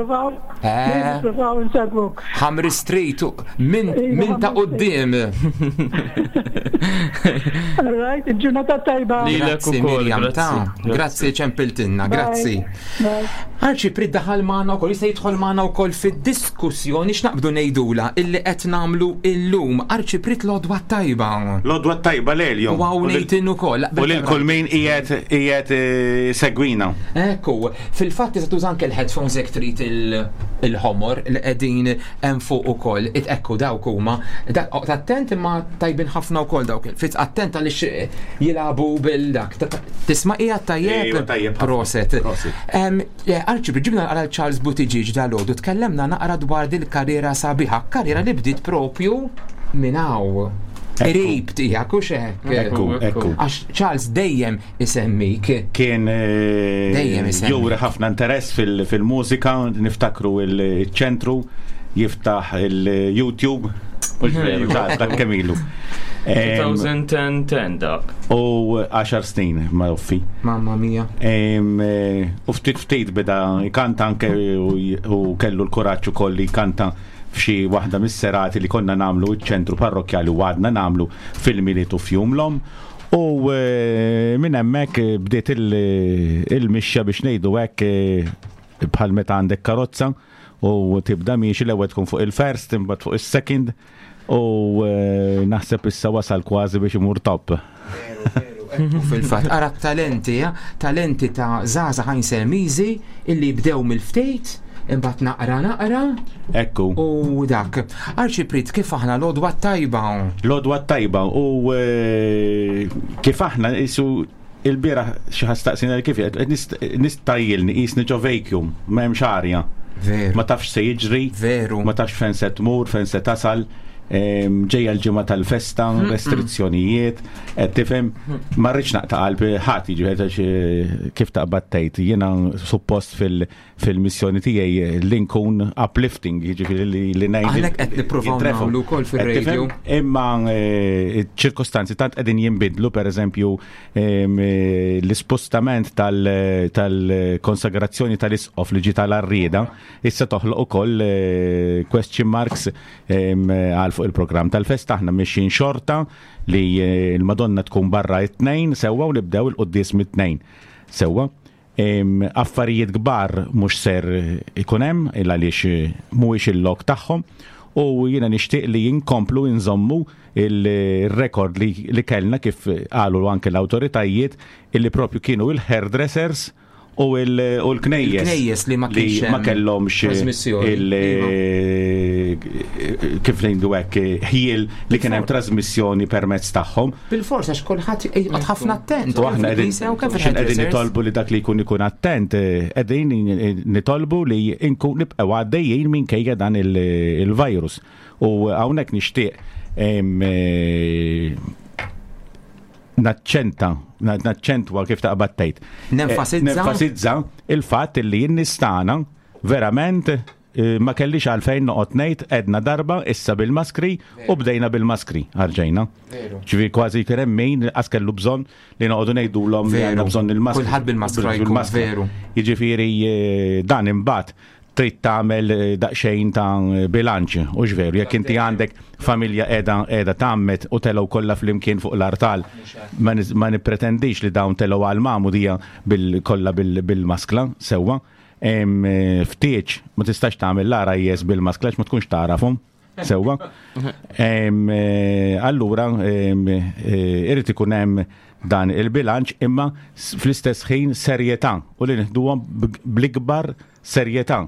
Eh. Provaw insegwuk. Ħamri Street minn min ta' quddiem. All right, il-ġurnata tajba. Grazzi Mirjam, ta' grazzi ċempiltinna, grazzi. Arċi prid daħal magħna wkoll, jista' jidħol magħna wkoll fid-diskussjoni x'naqbdu ngħidula illi qed nagħmlu illum. Arċi prid l-odwa tajba. L-odwa tajba lejl U hawn ngħidin ukoll. U lil kull min qiegħed qiegħed eh, segwina. Ekku, fil-fatt tista' tuża anke l-headphones jekk trid il-ħomor li qegħdin hemm fuq ukoll. Ekku dawk huma. Oqgħod attent imma tajbin ħafna wkoll dawk. Fitz attent għaliex jilagħbu bil-dak. Tisma' qiegħed tajjeb? Ejwa, tajjeb ħafna. Proset. Proset. Arċi, ġibna naqra Charles Buttigieg dal-għodu, tkellemna naqra dwar dil-karriera sabiħa, karriera li bdiet propju minn hawn. Qrib tiegħek u xek. Ekku, ekku. Għax Charles dejjem isemmik. Kien eh, Dejjem isemmi. juri ħafna interess fil-mużika, niftakru il-ċentru, jiftaħ il-YouTube. Mhux veru, dak kemm ilu. 2010 dak. U 10 snin ma' uffi. Mamma mia. U ftit ftit beda jkanta anke u kellu l-kuraġġ ukoll li jkanta f'xi waħda mis-serati li konna nagħmlu ċ-ċentru parrokkjali u għadna nagħmlu fil-Milied u f'Jum l-Omm. U minn hemmhekk bdiet il-mixja biex ngħidu hekk bħal meta għandek karozza u tibda miexi l-ewwel tkun fuq il-first imbagħad fuq is-second u naħseb issa wasal kważi biex imur top. U fil-fatt, ara talenti, talenti ta' żgħażagħ Ħajnselmiżi illi bdew mill-ftit, imbagħad naqra naqra. Ekku. U dak. Arċipriet kif aħna l-għodwa t-tajba? L-għodwa t-tajba u kif aħna isu il-bieraħ xi ħadd staqsina kif qed nistajjilni qisni ġo vacuum, m'hemmx arja. Veru. Ma tafx se jiġri. Veru. Ma tafx fejn se tmur, fejn se tasal. Ġejja l-ġimgħa tal-festa, restrizzjonijiet, qed tifhem, ma rridx naqta' qalb ħadd jiġifieri għax kif taqbad tgħid, jiena suppost fil-missjoni tiegħi li nkun uplifting, jiġifieri li ngħid Aħna qed nippruvaw jintrefgħu. nagħmlu wkoll Qed fir-radio. tifhem? Imma ċ-ċirkostanzi tant qegħdin jinbidlu, pereżempju l-ispostament tal-konsagrazzjoni tal-isqof li ġie tal-Għarrieda, issa toħloq ukoll question marks għal fuq il-programm tal-festa. Aħna mixjin xorta li l-Madonna tkun barra it-tnejn sewwa u nibdew il-quddies mit-tnejn sewwa. Affarijiet kbar mhux ser ikun hemm il għaliex mhuwiex il-lok tagħhom u jiena nixtieq li jinkomplu nżommu il-rekord li kellna kif qalu anke l-awtoritajiet illi propju kienu il-hairdressers u l-knejjes. Il-knejjes li ma li kienx ma hemm kellhomx trasmissjoni. kif ngħidu hekk, ħiel li kien hemm trasmissjoni permezz tagħhom. Bil-fors għax kulħadd jqgħod ħafna attent. U aħna kemm fil-knisja u kemm qegħdin fil-hairdressers. nitolbu li dak li jkun ikun attent, qegħdin nitolbu li nkun nibqgħu għaddejjin minkejja dan il-virus. U hawnhekk nixtieq naċċentwa kif taqbad tgħid. Nenfasizza? Nenfasizza il-fatt li n-nies tagħna verament ma kellix għalfejn noqgħod ngħid edna darba issa bil-maskri u bdejna bil-maskri għarġejna. Ġifieri kważi kien hemm min qas kellu bżonn li noqogħdu ngħidulhom li għandna bżonn il-maskri. Kulħadd bil-maskra jkun, Bil-maskra. veru. Jiġifieri dan imbagħad trid tagħmel daqsxejn ta' bilanċ, u x'veru, jekk inti għandek familja qiegħda tgħammed u telgħu kollha flimkien fuq l-artal, ma nippretendix li dawn telgħu għal magħmudija kollha bil-maskla sewwa. Ftieċ ma tistax tagħmel l-RIS bil-maskla għax ma tkunx tagħrafhom sewwa. Allura irid ikun hemm dan il-bilanċ imma fl-istess ħin serjetà u li nieħduhom bl-ikbar serjetà.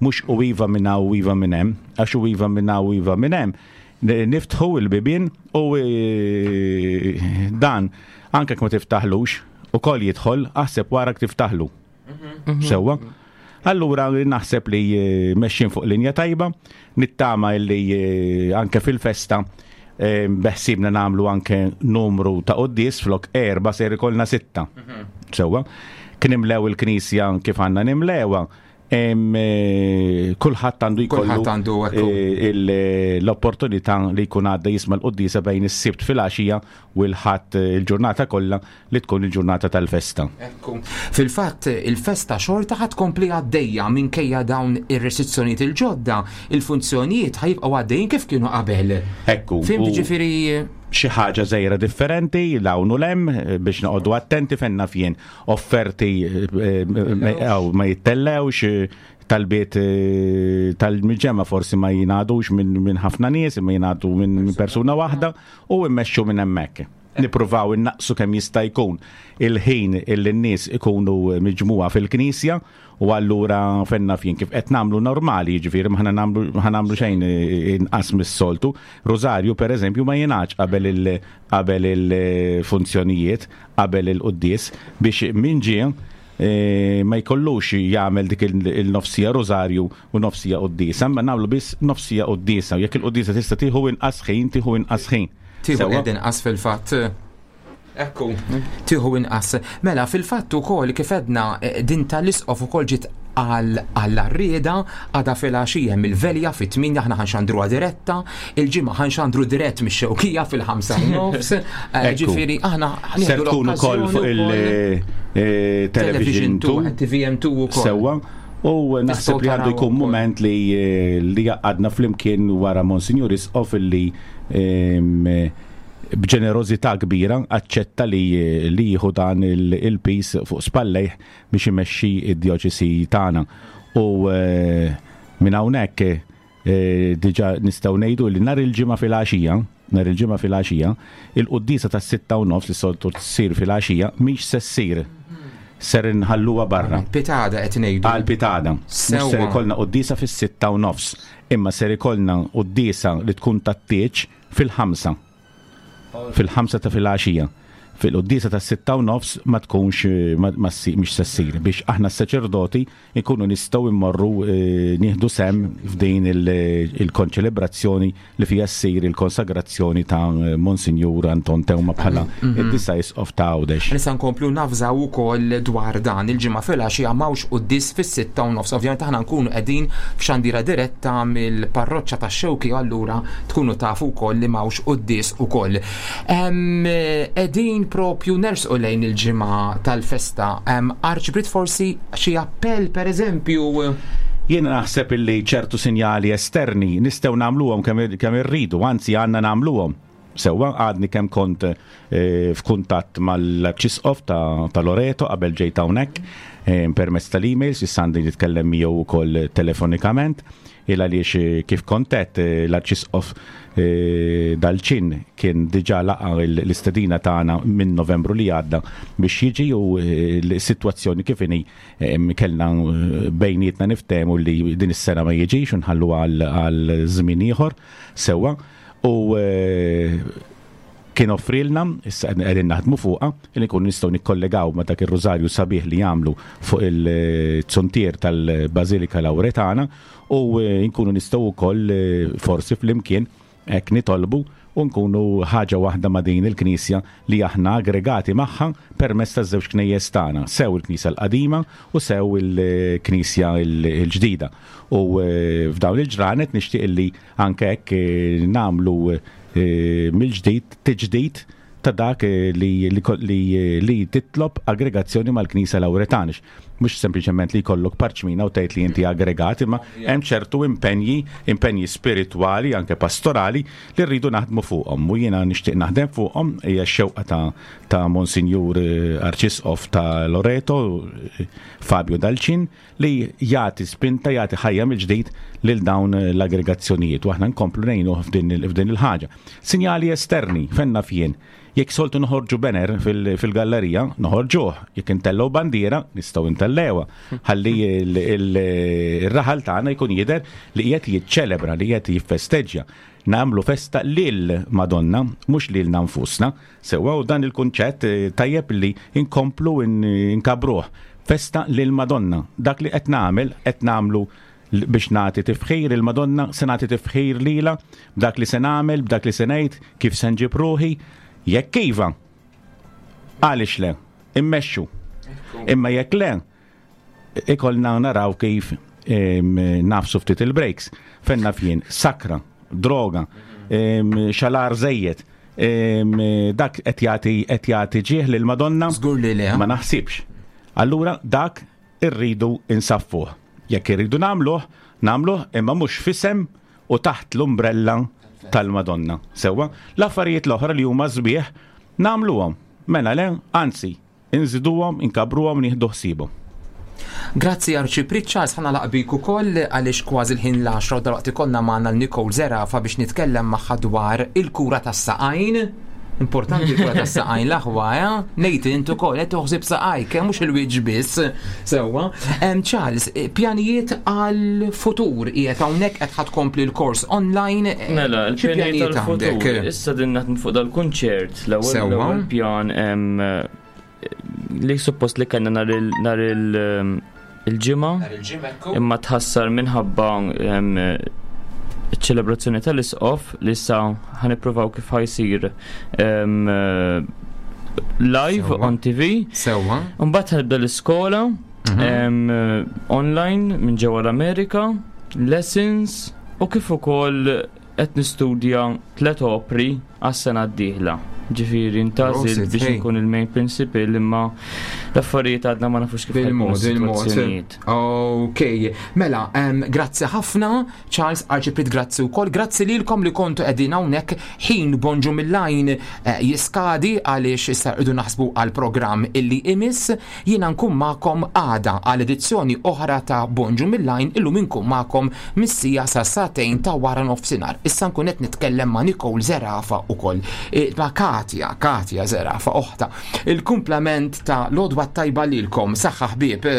Mhux u iva minn hawn u iva minn hemm, għax u iva minn hawn u iva minn hemm. Niftħu il-bibien u dan anke ma tiftaħlux ukoll jidħol, aħseb wara tiftaħlu. Sewwa. Allura naħseb li mexxin fuq linja tajba, nittama li anke fil-festa beħsibna nagħmlu anke numru ta' quddies flok 4 ser ikollna 6. Sewwa. Kien imlew il-knisja kif għandna nimlewha. Kulħadd għandu jkollu, Kulħadd għandu ekku. l-opportunità li jkun għadda jisma' l-quddiesa bejn is-Sibt filgħaxija u l-Ħadd il-ġurnata kollha li tkun il-ġurnata tal-festa. Ekku. Fil-fatt il-festa xorta ħad tkompli għaddejja minkejja dawn ir-restrizzjonijiet il-ġodda, il-funzjonijiet ħajbqgħu għaddejjin kif kienu qabel. Ekku. Fhimt, u ġifieri xi ħaġa żgħira differenti l hawn u l-hemm biex noqogħdu attenti fejn naf jien offerti ma jittellewx, talbiet tal-miġemma forsi ma jingħadux minn ħafna nies, imma jingħadu minn persuna waħda u immexxu minn hemmhekk. Nippruvaw innaqsu kemm jista' jkun il-ħin illi n-nies ikunu miġmugħa fil-knisja u allura fejn naf jien kif qed nagħmlu normali, jiġifieri ma ħa nagħmlu xejn inqas mis-soltu. Rosario pereżempju ma jingħadx qabel il-funzjonijiet, qabel il-quddies biex min ġie ma jkollux jagħmel dik il-nofsija rosario u nofsija quddiesa, ma nagħmlu biss nofsija quddiesa. Jekk il-quddiesa tista' tieħu inqas ħin, tieħu inqas ħin. Tieħu Sewwa? qed inqas fil-fatt. Ekku, tieħu inqas. Mela, fil-fatt ukoll kif edna din tal-isqof ukoll ġiet għall-għarrieda, għada filgħaxija hemm il-velja fit-8 aħna ħanxandruha diretta, il-ġimgħa ħanxandru dirett mix-Xewkija fil-5 u nofs. Ġifieri aħna Ser tkun ukoll fuq il-Television 2. TVM2 ukoll. Sewwa. U naħseb li għandu jkun moment li jgħaqqadna flimkien wara Monsinjur Isqof li b'ġenerożità kbira aċċetta li jieħu dan il-piż fuq spallejh biex imexxi id-djoċesi tagħna. U minn hawnhekk diġà nistgħu ngħidu li nhar il-Ġimgħa filgħaxija, nhar il-Ġimgħa filgħaxija, il-quddiesa tas-6:30 li soltu tsir filgħaxija mhix se ssir. Ser inħalluha barra. Pitgħada qed ngħidu. Għal pitgħada. Mhux ser ikollna quddiesa fis-6:30, imma ser ikollna quddiesa li tkun tat-tieġ fil-5. Fil-5 ta' filgħaxija. Fil-quddiesa tas-6:30 ma tkunx ma mhix se ssir biex aħna s-saċerdoti nkunu nistgħu immorru nieħdu sehem f'din il-konċelebrazzjoni li fija ssir il-konsagrazzjoni ta' Monsinjur Anton Teuma bħala id-disa' isqof ta' Għawdex. Nista' nkomplu navżaw ukoll dwar dan il-Ġimgħa filgħaxija m'hawnx quddies fis-6:30. Ovvjament aħna nkunu qegħdin f'xandira diretta mill-parroċċa tax-Xewki allura tkunu tafu wkoll li m'hawnx quddies ukoll. Qegħdin propju nersqu lejn il-ġimgħa tal-festa. Arċipriet, forsi xi appell, pereżempju? Jiena naħseb illi ċertu sinjali esterni nistgħu nagħmluhom kemm irridu, anzi għandna nagħmluhom. Sewwa, għadni kemm kont f'kuntatt mal-Arċisqof ta' Loreto qabel ġejt hawnhekk permezz tal-emails, issa għandi nitkellem miegħu wkoll telefonikament, il għaliex kif kont għedt, l-Arċisqof Dalċin kien diġà laqa l-istedina tagħna minn Novembru li għadda biex jiġi u l-sitwazzjoni kif inhi kellna bejnietna niftehmu li din is-sena ma jiġix u nħallu għal żmien ieħor sewwa u kien offrilna, issa qegħdin naħdmu fuqha, li nkunu nistgħu nikkollegaw ma' dak ir-rużarju sabiħ li jagħmlu fuq il-zuntier tal-Bażilika Lawretana u nkunu nistgħu wkoll forsi flimkien hekk nitolbu u nkunu ħaġa waħda ma' din il-Knisja li aħna aggregati magħha permezz taż-żewġ knejjes tagħna, sew il-Knisja l-qadima u sew il-Knisja l-ġdida. U f'dawn il-ġranet nixtieq li anke hekk nagħmlu mill-ġdid tiġdid ta' dak li titlob aggregazzjoni mal-Knisja Lawretana. Mhux sempliċement li jkollok parċmina u tgħid li inti aggregat, imma hemm ċertu impenji, impenji spiritwali, anke pastorali, li rridu naħdmu fuqhom. U jiena nixtieq naħdem fuqhom, hija x-xewqa ta' Monsinjur Arċisqof ta' Loreto, Fabio Dalcin, li jagħti spinta, jagħti ħajja mill-ġdid lil dawn l-aggregazzjonijiet u aħna nkomplu ngħinuh f'din il-ħaġa. Sinjali esterni, fenna fien. Jekk soltu noħorġu banner fil-gallerija, noħorġuh. Jekk intellgħu bandiera, nistgħu intellewha. Ħalli il-raħal tagħna jkun jidher li qiegħed jiċċelebra, li qiegħed jiffesteġġja. Nagħmlu festa lil Madonna, mhux lilna nfusna. Sewwa, u dan il-kunċett tajjeb li nkomplu nkabruh. Festa lil Madonna. Dak li qed nagħmel, qed nagħmlu biex nagħti tifħir il-Madonna, se nagħti tifħir lilha, b'dak li se nagħmel, b'dak li se ngħid, kif se nġib ruħi. Jekk iva, għaliex le, immexxu. Imma jekk le, ikollna naraw kif nagħfsu ftit il-brakes. Fenna fien, sakra, droga, xalar żejjed, dak qed jagħti ġieħ lil Madonna. Żgur li le. Ma naħsibx. Allura dak irridu insaffuh. Jekk irridu nagħmluh, nagħmluh imma mhux f'isem u taħt l-umbrella tal-Madonna. Sewwa, l-affarijiet l-oħra li huma sbieħ nagħmluhom. Mela le, anzi, inżiduhom, inkabruhom, nieħdu ħsiebhom. Grazzi Arċipriet Charles, ħa nagħlaq bik ukoll għaliex kważi l-ħin l-10 u dalwaqt ikollna magħna l-Nicole Zerafa biex nitkellem magħha dwar il-kura tas-saqajn. Importanti l-kura tas-saqajn l-aħwa, eh? Ngħid int ukoll qed toħsib saqajk, mhux il-wiċċ biss. Sewwa. Charles, pjanijiet għal-futur qiegħed hawnhekk qed ħa tkompli l-kors online. Mela, xi il-pjanijiet pjanijiet għal-futur. għandek? Issa din naħdmu fuq dal-kunċert, l-ewwel l-ewwel pjan li suppost li kellna nhar il-ġimgħa Nhar il-ġimgħa, ekku. Imma tħassar minħabba iċ-ċelebrazzjoni tal-isqof li issa ħa nippruvaw kif ħa jsir live on TV. Sewwa. Mbagħad ħa nibda l-iskola. Online minn ġewwa l-Amerika, lessons u kif ukoll qed nistudja tlet opri għas-sena d-dieħla. Ġifieri ntgħażilt Prosit, biex hey. nkun il-main principal imma l-affarijiet għadna ma nafux kif ħajkunu Bil-mod, il-mod. s-sitwazzjonijiet. Ok, mela, grazzi ħafna, Charles Arċipriet, grazzi wkoll, grazzi lilkom li kontu qegħdin hawnhekk ħin bonġu mill-għajn jiskadi għaliex issa rridu naħsbu għal programm illi imiss. Jiena nkun magħkom għada għal edizzjoni oħra ta' Bonġu mill-Għajn illum inkun magħkom mis-siegħa sa sagħtejn ta' wara nofsinhar. Issa nkun qed nitkellem ma' Nicole Zerafa ukoll. E, ma' Katja, Katja Zerafa oħta. Il-kumplament ta' l-għodwa t-tajba lilkom. Saħħa ħbieb.